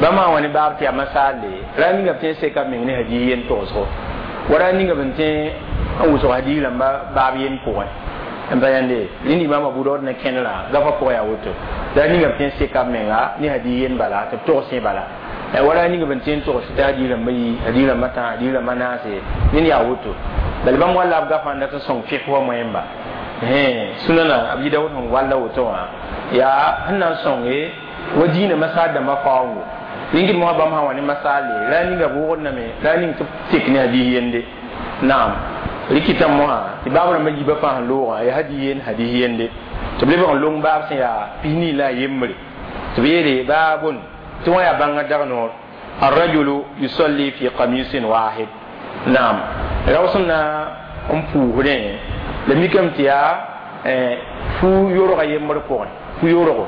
bãmba wã ne baab tɩ yaa masaalle ra ninga b tõe n seka b meng ne hadiis yen togsgo wa ra ninga b n tõe n wʋsg hadiis rãmba baab yen pʋgẽ n pa yãnde. Rẽnd imam Abu Daood na kẽnerã gafa pʋgẽ yaa woto ra ninga b tõe n seka b menga ne hadiis yen bala tɩ b togs bala wa ra ninga b n tõe n togs tɩ hadiis rãmba yi, hadiis rãmba tã, hadiis rãmba naase. Ned yaa woto bal bãmb walla b gafã n dat n sõng fɩk wa moẽmba sunana Abi Dawud sẽn walla woto wã yaa sẽn na n sõnge wa diinã masaal dãmbã faoongo rĩngd mosã bãmb sã wa ne masaale ra ninga b wʋgdname ra ning tɩ b tek ne hadiis yende. Naam, rɩkɩtã mosã tɩ baab rãmbã yiibã fãa sẽn loogã yaa hadiis yen, hadiis yende tɩ b lebg n long baab sẽn yaa 24 la a yembre tɩ b yeele baabon tɩ wã yaa bãngã dag noor الرجل يصلي في قميص واحد. Naam, rao sẽn na n puusdẽ la mikame tɩ yaa fu yorga yembr pʋgẽ, fu yorgo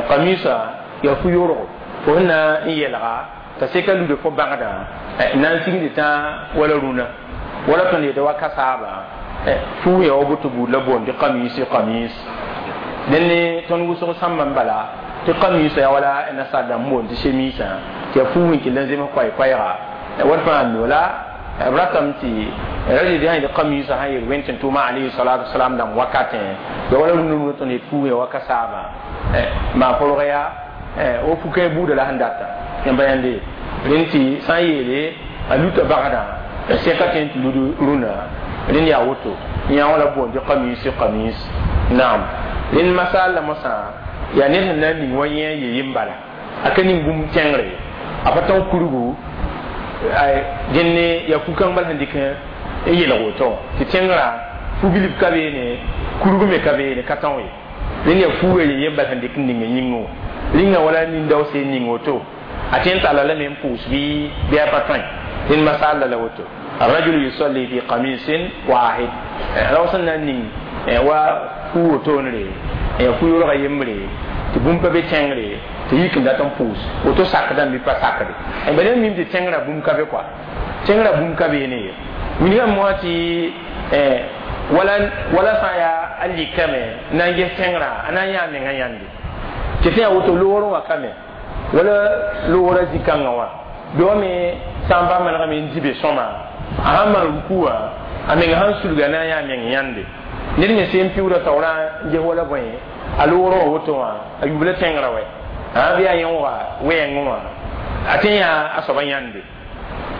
qamisa yaa fu yorgo fo sẽn na n yɛlga t'a seka lude fo bãgdã na n sigd tã wala rũnã wala tõnd yetɩ wa kasaaba fu ya wa buto buud la boond tɩ qamisi qamis. Dẽnd ne tõnd wʋsg sãmbã n bala tɩ qamisa ya wala nasaar dãmb boond tɩ chemisã tɩ yaa fuug n kell n zems koɛɛ-koɛɛga wat fãa mi la b ratame tɩ ra tɩ sã yetɩ qamisa sã yel wẽnd tɩ tʋʋma alayhi salatu wasalam dãmb wakatẽ ya wala rũnã rũnã tõnd yet fuug ya wa kasaabã maa porg yaa o fu-kãe buuda la sẽn data yãmba yãnde rẽnd tɩ sã n yeele a luta bagdã sẽka tõe n tɩ lud rũnã. Rẽnd yaa woto yã wã la boond tɩ qamisi qamis. Naam, rẽnd masaal la mosã yaa ned sẽn na n ning wa yẽ ye yem bala a ka ning bũmb tẽngre a pa tõg kurgu dẽnd ne yaa fu-kãng bal sẽn dɩk n yelg woto tɩ tẽngrã fu-bilf ka beene, kurg me ka beene, ka tõog ye. Rẽnd yaa fuuga ye yem bal sẽn dɩk n ning n yĩngẽ wã rĩngã wala nin-daoose n ning woto a tõe n talla lame n pʋʋs bɩ a pa tõe. Rẽnd masaal la woto الرجل يصلي في قميص واحد rao sẽn na n ning wa fu wotoonre fu yorga yembre tɩ bũmb pa be tẽngre tɩ yik n dat n pʋʋs woto sakdame bɩ pa sakde ba ned mim tɩ tẽngrã bũmb ka be kɔa tẽngrã bũmb ka beene ye wilgame mosã tɩ wala wala sã n yaa a likame n na n ges tẽngrã a na n yaa mengã yãnde tɩ tɩ yaa woto loogr wã kame wala loogrã zĩ-kãngã wã bɩ wa me sã n pa manegame n dɩ be sõma a sãn maan ruku wã a meng sãn sulga na n yaa meng yãnde ned me sẽn piuura taoorã n ges wala bõe a loogrã wã woto wã a yubla tẽngrã wɛ a bɩ a yẽoogã wɛɛngẽ wã a tõe n yaa a soaba yãnde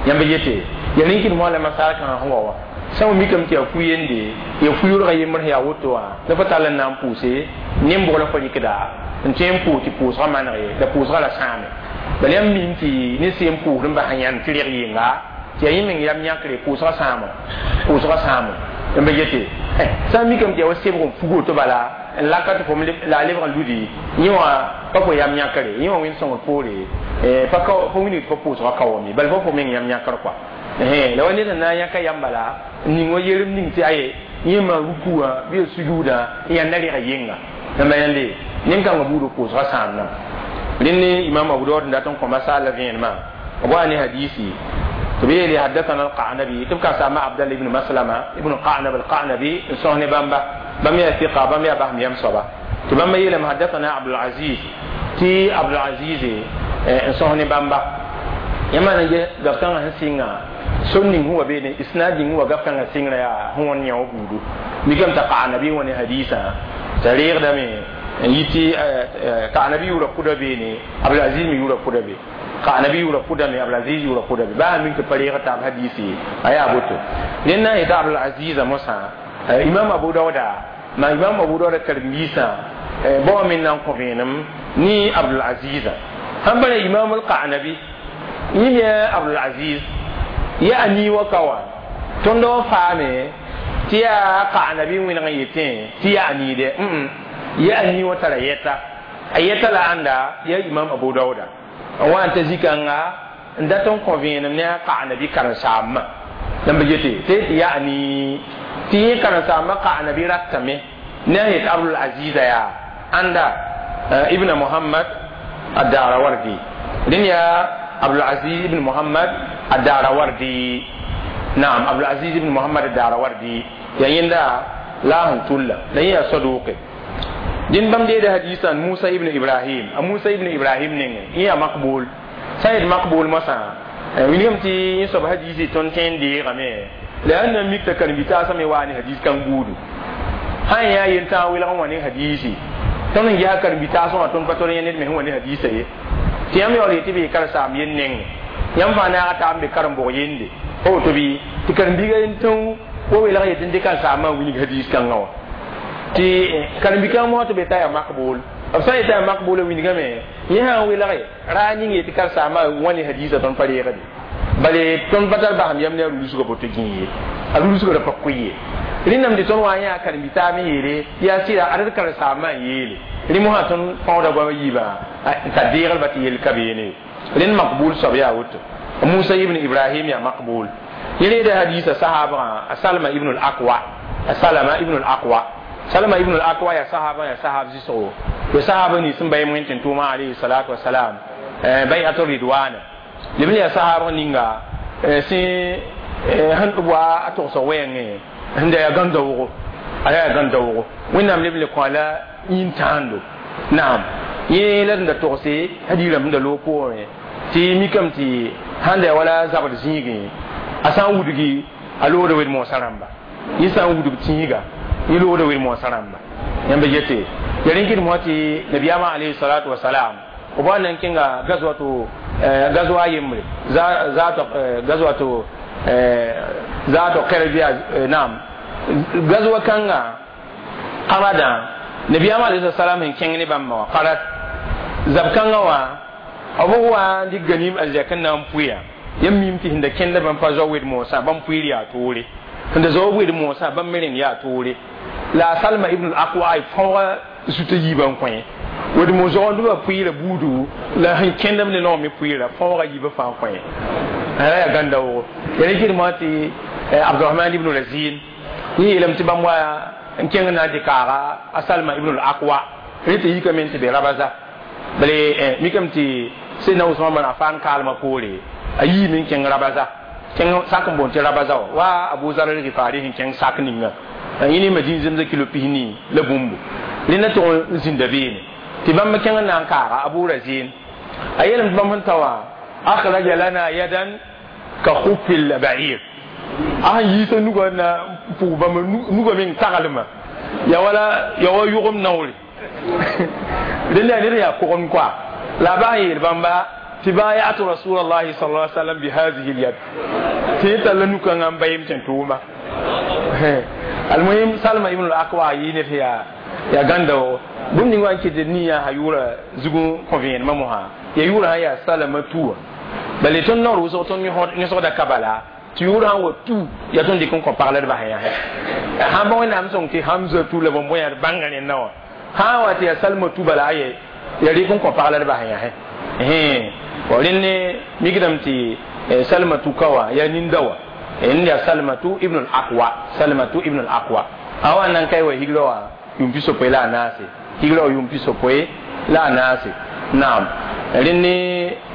yãmb yete ya rĩnkd moa la masaal kãngã sẽn wa wã sã n mikame tɩ yaa fu-yende yaa fu-yorga yembr sẽn yaa woto wã la fa tall n na n pʋʋse nen-bʋg la fa rɩkda n tõe n pʋʋs tɩ pʋʋsgã maneg la pʋʋsgã ra sãame bala yãmb mim tɩ ne sẽn pʋʋsd n bas yãnd tɩ reg yɩnga. tɩ yaa yẽ meng yam yãkre pʋʋsgã sãamo pʋʋsgã sãamo n be yete sã n mikame tɩ yaa wa sebg n fug woto bala n laka tɩ fom la a lebg n ludi yẽ wã pa fo yam yãkre yẽ wã wẽnd sõngr poore pa wilg tɩ fo pʋʋsgã ka wame bala fo meng yam yãkr kɔa la wa ned n na n yãka yam bala n ning wa yerem ning tɩ aye yẽ maan ruku wã bɩ a sujuudã n yãnda rega yenga yãmba yãnde nin-kãngã buudã pʋʋsgã sãamdã rẽnd imam Abu Dawud n dat n kõ masala vẽenemã b wa ne hadisi tɩ b yeele haddathana al-Qanabi tɩ b ka-saama Abdallah ibn Maslama ibn Qanab al-Qanabi n sõs ne bãmba bãmb yaa fiqa bãmb yaa basem yam soaba tɩ bãmba yeelame haddathana Abdul Aziz tɩ Abdul Aziz n sõs ne bãmba yãmba na n gaf kãngã sẽn sɩnga sor ning sẽn wa beene isnad ning wa gaf kãngã sɩngrã yaa sẽn wãn yã wã buudu mikame t'a Qanabi wã ne hadisã t'a reegdame n yiti Qanabi yʋʋra pʋda beene Abdul Aziz me yʋʋra pʋda be Qanabi yʋʋra pʋda me Abdul Aziz yʋʋra pʋda be baa mik tɩ pa reeg taab hadisi a yaa boto rẽnd na n yeta Abdul Aziz mosã Imam Abu Dauda ma Imam Abu Dauda karen-biisã bao me na n kõ vẽenem ne Abdul Aziz sãn pa Imam al-Qanabi yẽ me Abdul Aziz yaa nii wa ka wã tõnd wa faame tɩ yaa Qanabi wẽneg n yetẽ tɩ yaa niide yaa nii wa tara yɛta a yɛta la ãnda yaa Imam Abu Dauda n wa n ta zikãnga n dat n kõ vẽenem ne a Qanabi karen-saambã yãmb yete tɩ yaa nii tɩ yẽ karen-saambã Qanabi ratame ne a yet Abdul Aziza yaa ãnda ibn Muhammad ad-Darawardi rẽnd yaa Abdul Aziz ibn Muhammad ad-Darawardi naam Abdul Aziz ibn Muhammad ad-Darawardi yaa yẽnda la sẽn tulla la yẽ yaa saduqe dĩn bãmb deeda hadiisã Musa ibn Ibrahim a Musa ibn Ibrahim nengẽ yẽ yaa makbul sã n yet makbul mosã wilgame tɩ yẽ soab hadiisi tõnd tõe n deegame la yaa na n mik t'a karen-bi-taasã me waa ne hadis kãng buudu sã n yaa yel-tãag welg n wa ne hadiisi tõnd n ges karen-bi-taasã wã tõnd pa tol yẽ ned me sẽn wa ne hadiisa ye tɩ yãmb yaool yetɩ bee karen-saam yel nengẽ yãmb fãa naaga taab n be karen-bʋg yende pa woto bɩ tɩ karen-biiga yen-tão wa welg yetɩ n dɩk karen-saambã n wilg hadis kãngã wã tɩ karen-bi-kãng mosã tɩ be t'a yaa makbul b sã n yetɩ yaa makbul wilgame yẽ sã n welge raa ning yetɩ karen-saambã wã ne hadiisã tõnd pa reegde bale tõnd pa tar basem yam ne a rulsgã boto gĩi ye a rulsgã ra pa koe ye rẽndame tɩ tõnd wa n yãa karen-bi-taab me yeele yaa sɩda ad d karen-saambã n yeele rẽ mosã tõnd fãooda goamã yiibã t'a deeglba tɩ yell ka beene rẽnd makbul soab yaa woto Musa ibn Ibrahim yaa makbul yẽ reeda hadiisa sahaabgã a Salma ibn al-Akwa a Salama ibn al-Akwa Salama ibn al-Akwa yaa sahaba yaa sahab zɩsgo ya sahaba nins n bay wẽn tʋʋmã alayhi salatu wasalam bay'atu ridwana leb n yaa sahaabg ninga sẽn sẽn b wa a togsg wɛɛngẽ sẽn da yaa gãn-daoogo a yaa gãn-daoogo wẽnnaam leb n le kõ la yĩn-tãando naam yẽ la d da togse hadiirãmb sẽn da loog poorẽ tɩ mikame tɩ sãn da wala zabd zĩigẽ a sã n wudgi a loogda wed-moosã rãmba yẽ sã n wudg tĩiga yẽ loogda wed-moosã rãmba yãmba yete ya rẽn kɩd mosã tɩ nabiyaamã alayhi salatu wasalam b wa na n kẽnga gazwato gazwa yembre zato gazwato zato qerbiya naam gazwa kãnga qaradã nabiyaamã alayhi salam sẽn kẽng ne bãmba wã qarad zab kãngã wã b wa n dɩk ganim arzɛk n na n pʋɩa yãmb mim tɩ sẽn da kẽnda bãmb pa zao wed-moosã bãmb pʋɩɩr yaa toore sẽn da zao wed-moosã bãmb me rẽnd yaa toore la Salma ibn al-Aqwa fãooga zut a yiibã n kõ wed-moos zoagndbã pʋɩɩra buudu la sẽn kẽndame ne naoor me pʋɩɩra fãooga yiibã fãa kõ ra yaa gãn-daoogo ya rẽ kɩdmã tɩ Abdurahman ibn Razin yẽ yeelame tɩ bãmb wa n kẽng na n tɩ kaaga a Salma ibn al-Aqwa rẽ tɩ yikame n tɩ be Rabaza bale mikame tɩ Sidna Usman bin Affan kaalmã poore a yiime n kẽng Rabaza kẽng sak n boond tɩ Rabaza wã wa Abu Zar al-Ghifari sẽn kẽng sak ninga yẽ ne Madin zemsã kilo pisni la bũmbu rẽnda tʋg n zĩnda beene tɩ bãmb kẽng n na n kaaga Abu Razin a yeelame tɩ bãmb sẽn ta wã akhraja lana yadan ka khufil ba'ir a sẽn yiisa nugã na n pʋg bãmb nugã meng taglmã ya wala ya wa yʋgem naoore rẽnda yaa ned yaa kogem koa la ba n yeel bãmba tɩ bayatu rasulallahi sal lla sallam bi hadihi lyad tɩ yẽ talla nu-kãngã n bayem tẽn tʋʋma almuhim Salma ibn al-Akwa yɩ ned yaa yaa gãnda bũmb ning wã n ket d nin yaa yʋʋra zug n kõ vẽenemã mosã ya yʋʋra sã yaa Salama tuwa Bale tõnd naoor wʋsg tõnd yõsgda ka bala tɩ yʋʋr sã n wa tu yaa tõnd dɩk n kõ pagld bas yã sãn ba wẽnnaam sõng tɩ hamza tu la bõn bõe yaa bãnga rẽnda wã sã n wa tɩ yaa salma tu bala aye ya rɩk n kõ pagld bas yã rẽnd mikdame tɩ salmatu ka wã yaa ninda wã n yaa salmatu ibn al-aqwa salmatu ibn al-aqwa a wa nan kai wa higra wã yʋm pisopoe la a naase higra wã yʋm pisopoe la a naase naam rẽnd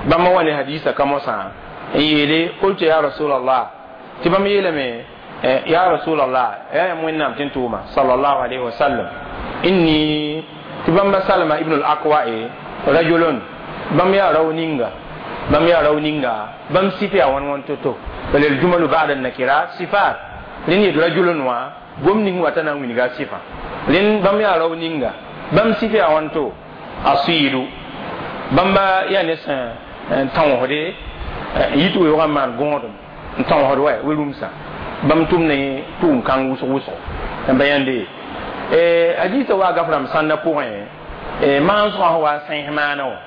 bãmba wa ne hadisa ka mosã n yeele qultu ya rasulallah tɩ bãmb yeelame ya rasulallah yaa yãmb wẽnnaam tɩ n tʋʋma sallallahu alayhi wa sallam inni tɩ bãmba salma ibn al-aqwa e rajulun bãmb yaa rao ninga bãmb yaa rao ninga bãmb sɩf yaa wãn wãn to-to bala aljumalu ba'da nakirat sifat rẽnd yet rajulun wã gom ning wata na n wilga sɩfã rẽnd bãmb yaa rao ninga bãmb sɩf yaa wãn to asiidu bãmba yaa ne sẽn tõosde n yit weoogã n maan gõodem n tõosd wa we-rũmsã bãmb tʋm ne tʋʋm kãng wʋsg wʋsgo n ba yãnde hadisa wa gaf rãmb sãnda pʋgẽ maan-sõgã sẽn wa n sẽes maana wã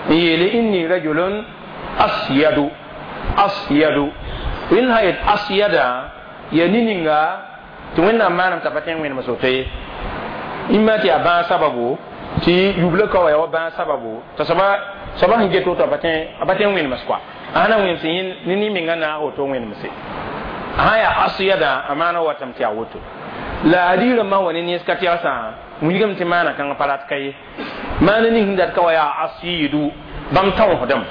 n yeele inni rajulun asyadu asyadu rẽnd sã yet asyada yaa ne-ninga tɩ wẽnnaam maanam t'a pa tõe n wẽnem soto ye ĩmma tɩ yaa bãag sababu tɩ yubla ka wa yaa wa bãag sababu t'a soaba sẽn get woto a pa tõe n wẽnems koa a sã na wẽnems ne nin-menga naag woto n wẽnemse a sã yaa asyada a maana watame tɩ yaa woto la adiir rãmbã wa ne nens ka tɛgsã wilgame tɩ maana kãngã pa rat ka ye maana ning sẽn dat ka wa yaa asiidu bãmb tõosdame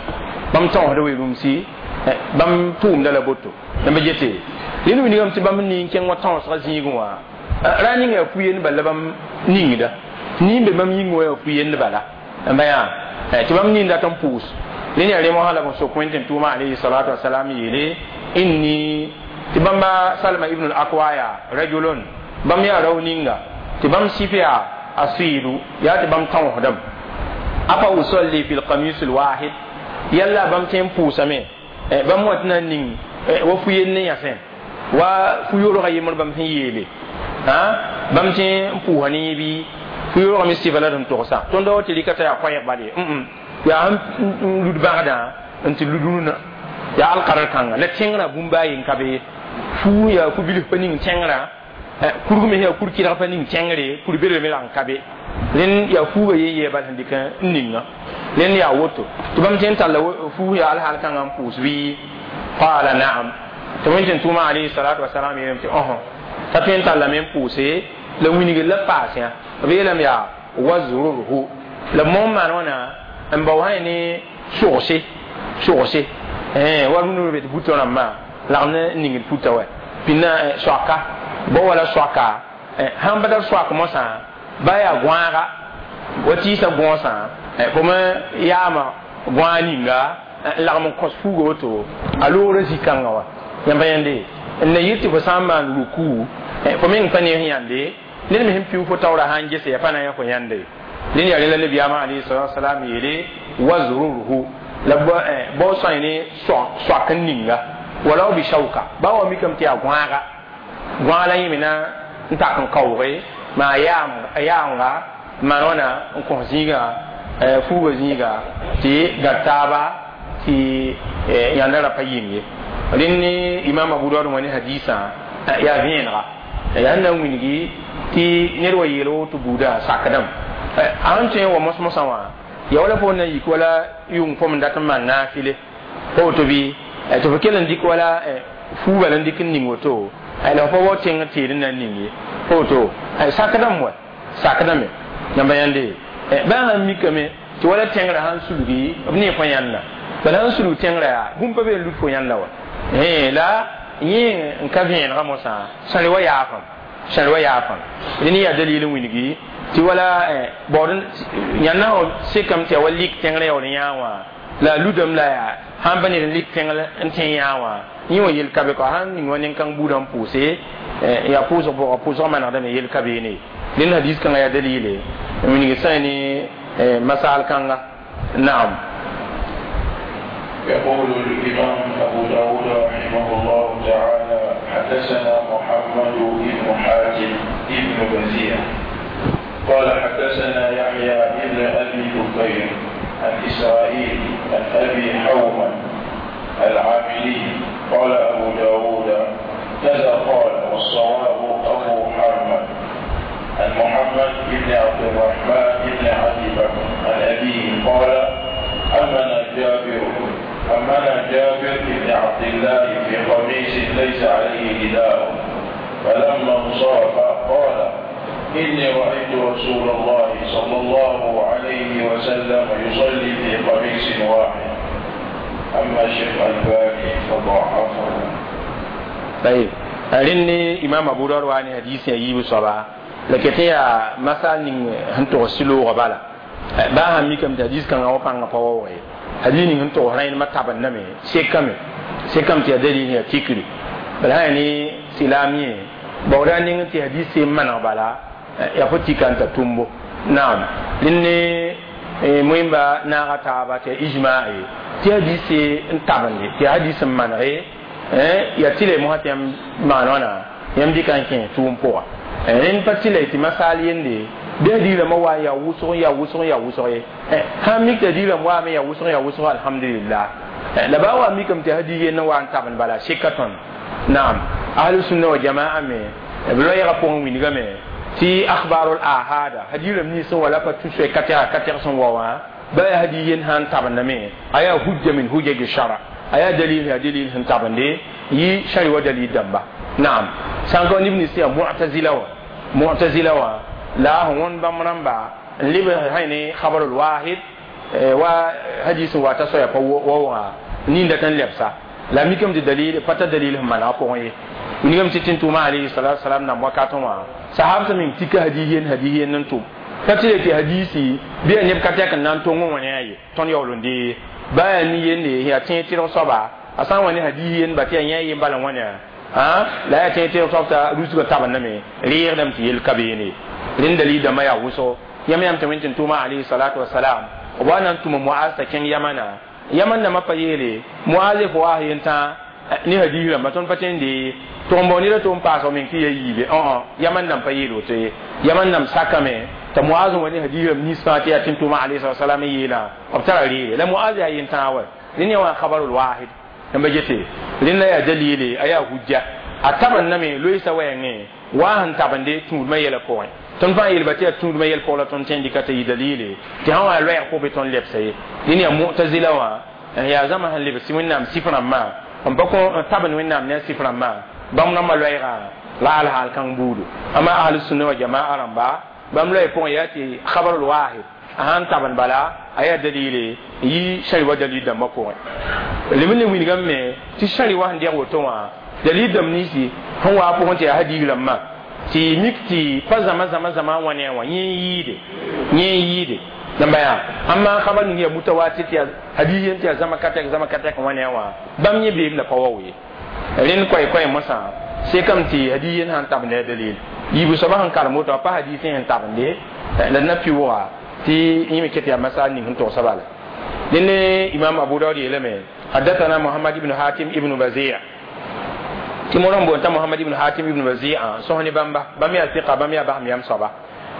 bãmb tõosda we-rũmsi bãmb tʋʋmda la boto n ba gete rẽnd wilgame tɩ bãmb ning kẽng wã tõosgã zĩigẽ wã ra ning yaa fu-yend bala la bãmb ningda nin be bãmb yĩng wã yaa fu-yend bala n ba yaa tɩ bãmb ning dat n pʋʋs rẽnd yaa rẽ mosã la b sok wẽn tɩ n tʋʋma alayhi salatu wasalam yeele inni tɩ bãmba salma ibn al-akwa yaa rajulun bãmb yaa rao ninga tɩ bãmb sɩf yaa asiidu yaa tɩ bãmb tõosdame afa usalli fi lqamis lwahid yalla bãmb tõe n pʋʋsame bãmb wa tɩ na n ning wa fu-yend ne yãsẽ wa fu-yoorgã yembr bãmb sẽn yeele bãmb tõe n pʋʋsa ne yẽ bɩ fu-yoorgã me sɩfa la d sẽn togsã tõnd wa tɩ rɩka t'a yaa koɛɛg bal ye yaa sẽn lud bãgdã n tɩ lud rũnã yaa alkarl kãnga la tẽngrã bũmb a yen ka be fuu yaa fu-bilf pa ning tẽngrã kurg me yaa kur kɩdg pa ning tẽngre kur bedr me rag n ka be rẽnd yaa fuuga yen yɛɛ bal sẽn dɩk n ninga rẽnd yaa woto tɩ bãmb tõe n talla fuus yaa alhaal kãngã n pʋʋs bɩ qala naam tɩ wẽn tɩ n tʋʋma alayhi salatu wasalam yeelame tɩ ɔsõ t'a tõe n tallame n pʋʋse la wilgr la paas yã b yeelame yaa wazrurhu la moom maan wãna n bao sã ne sogse sogse wa rũndã be tɩ putã rãmbã lagm ne ningd puta wa pĩnna soaka bao wala soaka sãn pa tar soak mosã ba yaa gõaga wa tɩɩsa gõosã fo me yaama gõag ninga n lagm n kõs fuuga woto a loogrã zĩ-kãngã wa yãmba yãnde n na yɩ tɩ fo sã n maan ruku fo meng pa ne sẽn yãnde ned me sẽn piu fo taoora sã n gese ya pa na n yã fo yãnde rẽnd yaa rẽ la nabiyaamã alayhi salatu wasalam yeele wazrurhu la bao sõe ne soak n ninga wala bi shauka ba wa mikame tɩ yaa gõaga gõag la yẽ me na n tak n kaooge maa yaamga maan wãna n kõs zĩiga fuuga zĩiga tɩ gar taaba tɩ yãnda ra pa yɩng ye rẽnd ne imam abu daud wã ne hadisã yaa vẽenega yaa sẽn na n wilgi tɩ ned wa yeel woto buudã sakdame a sẽn tõe n wa mos-mosã wã ya wala fo na yik wala yʋng fo m dat n maan naafile pa woto bɩ tɩ fo kell n dɩk wala fuuba la n dɩk n ning woto la fo wa tẽng tɩɩd n na n ning ye pa woto sakdame wa sakdame yãmba yãnde bãa sãn mikame tɩ wala tẽngrã sãn sulgi b ne fo yãnda bala sãn sulg tẽngrã yaa bũmb pa be n lut fo yãnda wa la yẽ n ka vẽenegã mosã sãre wa yaafam sãre wa yaafam rẽnd yaa dalil n wilgi tɩ wala baood yãnda sekame tɩ yaa wa lik tẽngrã yaool n yãa wã la a ludame la yaa sãn pa ned n lik tẽngr n tẽ yãa wã yẽ wã yel ka be kɔ sãn ning wa nen-kãng buudã n pʋʋse yaa pʋʋsg pʋgã pʋʋsgã manegdame yel ka beene rẽnd hadis kãngã yaa dalile n wilg sã ne masaal kãnga naam يقول الإمام أبو داود رحمه الله تعالى حدثنا محمد بن حاتم بن بزيع قال حدثنا يحيى بن أبي بكير عن إسرائيل عن أبي حومة العاملي. قال أبو داود كذا قال، والصواب أبو حرمل. عن محمد بن عبد الرحمن بن أبي بكر عن أبيه قال أمنا جابر بن عبد الله في قميص ليس عليه رداء، فلما انصرف قال إني رأيت رسول الله صلى الله عليه وسلم يصلي في قميص واحد. أما الشيخ الألباني فضعفه. طيب أرني إمام أبو داود وأني حديث يجيب صبا لكن يا مثلا هنتو سلو غبالا با هم ميكم حديث كان أو بان قوي حديث هنتو هرين ما تابن نمي سكم تيدلي هي تكري بل هاني سلامي بوران نتي حديث من غبالا يا فتي كانت تومبو. نعم لأني مهم با ناغا تابا تي إجماعي تي حديث انتابن تي حديث من غي ya tile mo hatem manona yam dikan ken tum po en patile ti masal yende de di la ma ya wuso ya wuso ya wuso e ha mi te di la wa me ya wuso ya wuso alhamdulillah la ba wa mi kam te hadi yen wa taban bala shikaton. Naam ahlu sunna wa jamaa me blo ya ko wi ni me ti akhbarul ahada hadi la ni so wala pa tu se katera katera son wa ba hadi yen han taban me aya hujja min hujja shara aya dalil ya dalil hin tabande yi shari wa dalil damba. Naam sanko ibn siya mu'tazila wa la hon bamramba libe hayni khabarul wahid wa hadith wa ta soya wa wa ni da tan lebsa la mikam di dalil pata dalil mana ko yi ni gam titin tuma alayhi salatu wasalam na wakaton wa sahaba min tika hadiyen hadiyen nan to katile ti hadisi bi en kata kan nan to ngon wani ayi ton yawlundi baya ni yende ya tin tiro soba asan wani hadiyen ba ti nya yin balan wani ha la ya tin tiro sobta rusu ga taban name rir dam ti yel kabene lin dalil da maya wuso yam yam tamintin tuma alayhi salatu wassalam wa nan tuma mu'az ta ken yamana yaman na mapayele mu'az fo wa yenta ni hadira maton patende tombo ni to paso min ki yibe on yaman nam payelo te yaman nam sakame ta mu'az wani hadira ni sati ya tin tuma alayhi salatu wassalam yela obtara rire la mu'az ya yenta wa lin wa khabarul wahid namba jete lin la ya dalili aya hujja ataban name loisa wayne wa han tabande tuud ma yela ko ton fa yel batia tuud ma yel ko la ton tendi kata yi dalili ti hawa lo ya ko be ton lepse lin ya mu'tazila wa ya zama han lebsi winnam sifran ma on ba ko taban winnam ne sifran ma bam na ma loira la al hal kan budu ama ahlus sunna wa jamaa ramba bam loy ko yati khabarul wahid ahan taban bala aya dalili yi shari wa dalili da mako limin wini gamme ti shari wa ndiya woto wa dalili dam nisi hon wa po ti hadi lamma ti mikti pa zama zama zama wani wa yin yide namba ya amma khabar ni ya mutawatir ya hadi ti zama kata wani wa bam ni bi la pawawi rin kwai kwai masa sai kam ti hadi yin han tab ne dalil yibu sabahan kar moto pa hadi sin tab ne la na piwa ti yimi kete ya masal ni hunto sabala dinne imam abu dawud yeleme haddathana muhammad ibn hatim ibn bazi' ti moron bonta muhammad ibn hatim ibn bazi' sohni bamba bamiya thiqa bamiya baham yam saba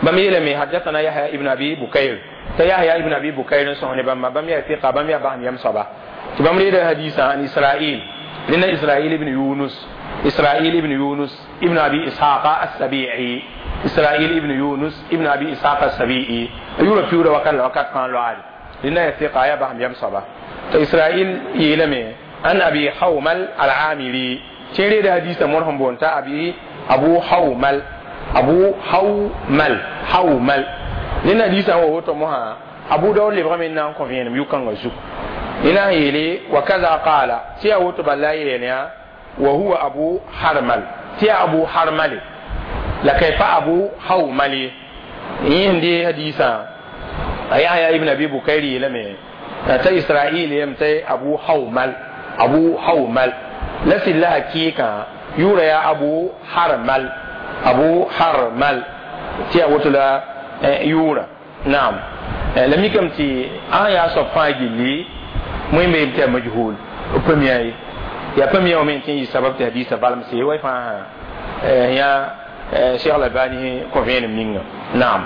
bami yeleme haddathana yahya ibn abi bukayr ta yahya ibn abi bukayr sohni bamba bamiya thiqa bamiya baham yam saba ti bamri da hadisa an isra'il لنا إسرائيل ibn يونس إسرائيل ibn يونس ibn أبي إسحاق السبيعي إسرائيل ibn يونس ibn أبي إسحاق السبيعي يورا بيورا وكان وكان كان لعال لنا يثق يا بهم يم صبا إسرائيل يلمي أن أبي حومل العاملي تيري ده حديث مرهم بونتا أبي أبو حومل أبو حومل حومل لنا حديث هو تمها أبو داود لبغمنا كونفين يوكان غزو لنا يلي وكذا قال تيا وتبلا يلينا وهو أبو حرمل تيا أبو حرمل لكيف أبو حومل يندي حديثا أي ابن أبي بكير لمي تا إسرائيل يمتي أبو حومل أبو حومل لسي الله كيكا يورا يا أبو حرمل أبو حرمل تيا وتلا يورا نعم لم يكن تي آية صفاجي لي مهم يبتع مجهول وبمياي يا بميا ومن تيجي سبب تحديث بالم سي واي فا يا شيخ الألباني كوفين منين نعم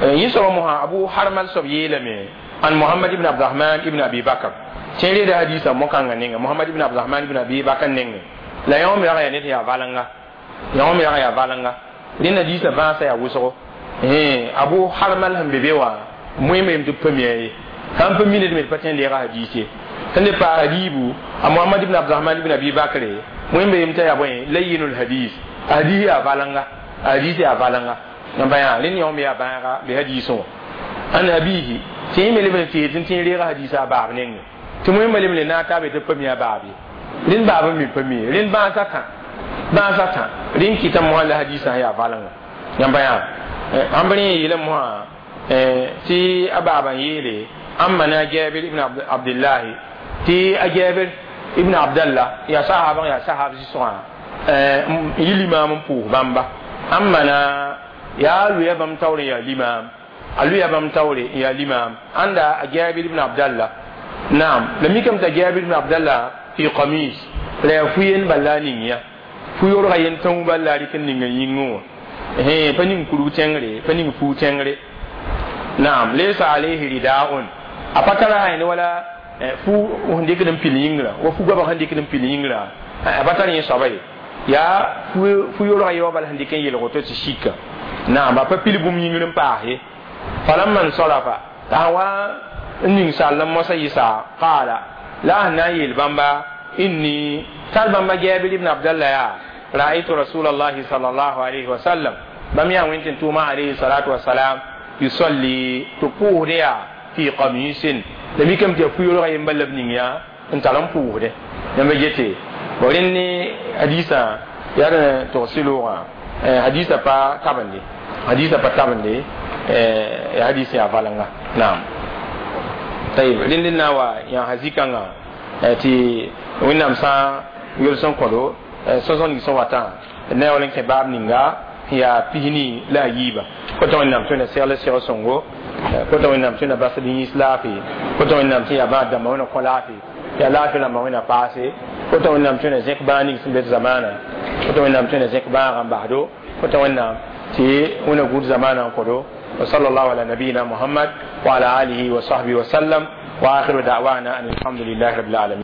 يسوع مها أبو حرمل سبيلمي عن محمد بن عبد الرحمن ابن أبي بكر Tẽn reeda hadiisã mo-kãngã ninga Mohamad ibn Abdurahman ibn Abi Bakr nengẽ la yõ me rag yaa ned yaa valenga, yõ me rag yaa valenga. Rẽnd hadiisã vãasã yaa wʋsgo. Abu Harmal sẽn be be wã moẽme yem tɩ b pa mi-a ye, sãn pa mi ned me d pa tõe n deega hadiis ye. Sẽn le paas hadiibu a Mohamad ibn Abdurahman ibn Abi Bakre, wẽnde yem t'a yaa bõe layyinul hadis, a hadis yaa valenga, a hadis yaa valenga. N pa yaa rẽnd yõ me yaa bãaga be hadisẽ wã an abihi tɩ yẽ me leb n tɩ tɩ n reega hadisã a baab nengẽ tɩ wẽmba leb le naag t'a be tɩ b pa mi a baab ye. Rẽnd baab n mi pa mi rẽnd bãasã tã, bãasã tã rẽnd kɩta mosã la hadisã sẽn yaa valenga. Yãmba yaa sãn b rẽ yeelame mosã tɩ a baaba n yeele ãmba na Jabir ibn Abdillahi, tɩ a Jabir ibn Abdallah yaa sahab, yaa sahab zĩ-sõgã n yɩ limaam n pʋʋs bãmba. Ãmba na yaa loya bãmb taoor n yaa limaam, a loya bãmb taoore n yaa limaam ãnda a Jabir ibn Abdallah. Naam, la mikame t'a Jabir ibn Abdallah fi qamis la yaa fu-yen bala a ning ya fu-yorga yen tãu bala a rɩk n ninga yĩngẽ wã, pa ning kurg tẽngre, pa ning fuu tẽngre. Naam, laysa alayhi ridaun, a pa tara hayn wala fu sẽn dɩkd n pil yĩngrã wa fu goabg sẽn dɩkd n pil yĩngrã, a pa tar yẽ soaba ye, yaa fu yorga ye wa bala sẽn dɩk n yelg woto tɩ sika. Naam, a pa pil bũmb yĩngr n paas ye. Falamma nsarafa, t'a sã wa n ning sall n mosã yɩsa, qaala la a sẽn na n yeel bãmba inni tar bãmba Jabir ibn Abdallah yaa ra'aytu rasulallahi sallallahu alayhi wa sallam, bãmb yaa wẽn tɩ tʋʋma alayhi salatu wasalam yusalli tɩ pʋʋsd yaa fi qamisin, la mikame tɩ yaa fu-yorga yemba la b ning yaa n tar n pʋʋsdẽ. Yãmba gete bo rẽnd ne hadisã yaa d togs loogã, hadisã pa tabende, hadisã pa tabende, ya hadis yaa valenga. Naam, tayib, rẽnd n na n wa yãasa zĩ-kãngã tɩ Wẽnnaam sã n yols n kõdo sõsg ning sẽn watã na yaool n kẽ baab ninga sẽn yaa 23. Kota Wẽnnaam tõe na segl seg sõngo, kota Wẽnnaam tõe na bas d yĩns laafɩ, kota Wẽnnaam tɩ yaa bãad dãmbã wẽna kõ laafɩ, yaa laafɩ rãmbã wẽna paase, kota Wẽnnaam tõe na zẽk bãag ning sẽn be d zamaana, kota Wẽnnaam tõe na zẽk bãagã n basdo, kota Wẽnnaam tɩ wẽna gũud zamaanã n kõdo. وصلى الله على نبينا محمد وعلى آله وصحبه وسلم، وآخر دعوانا أن الحمد لله رب العالمين.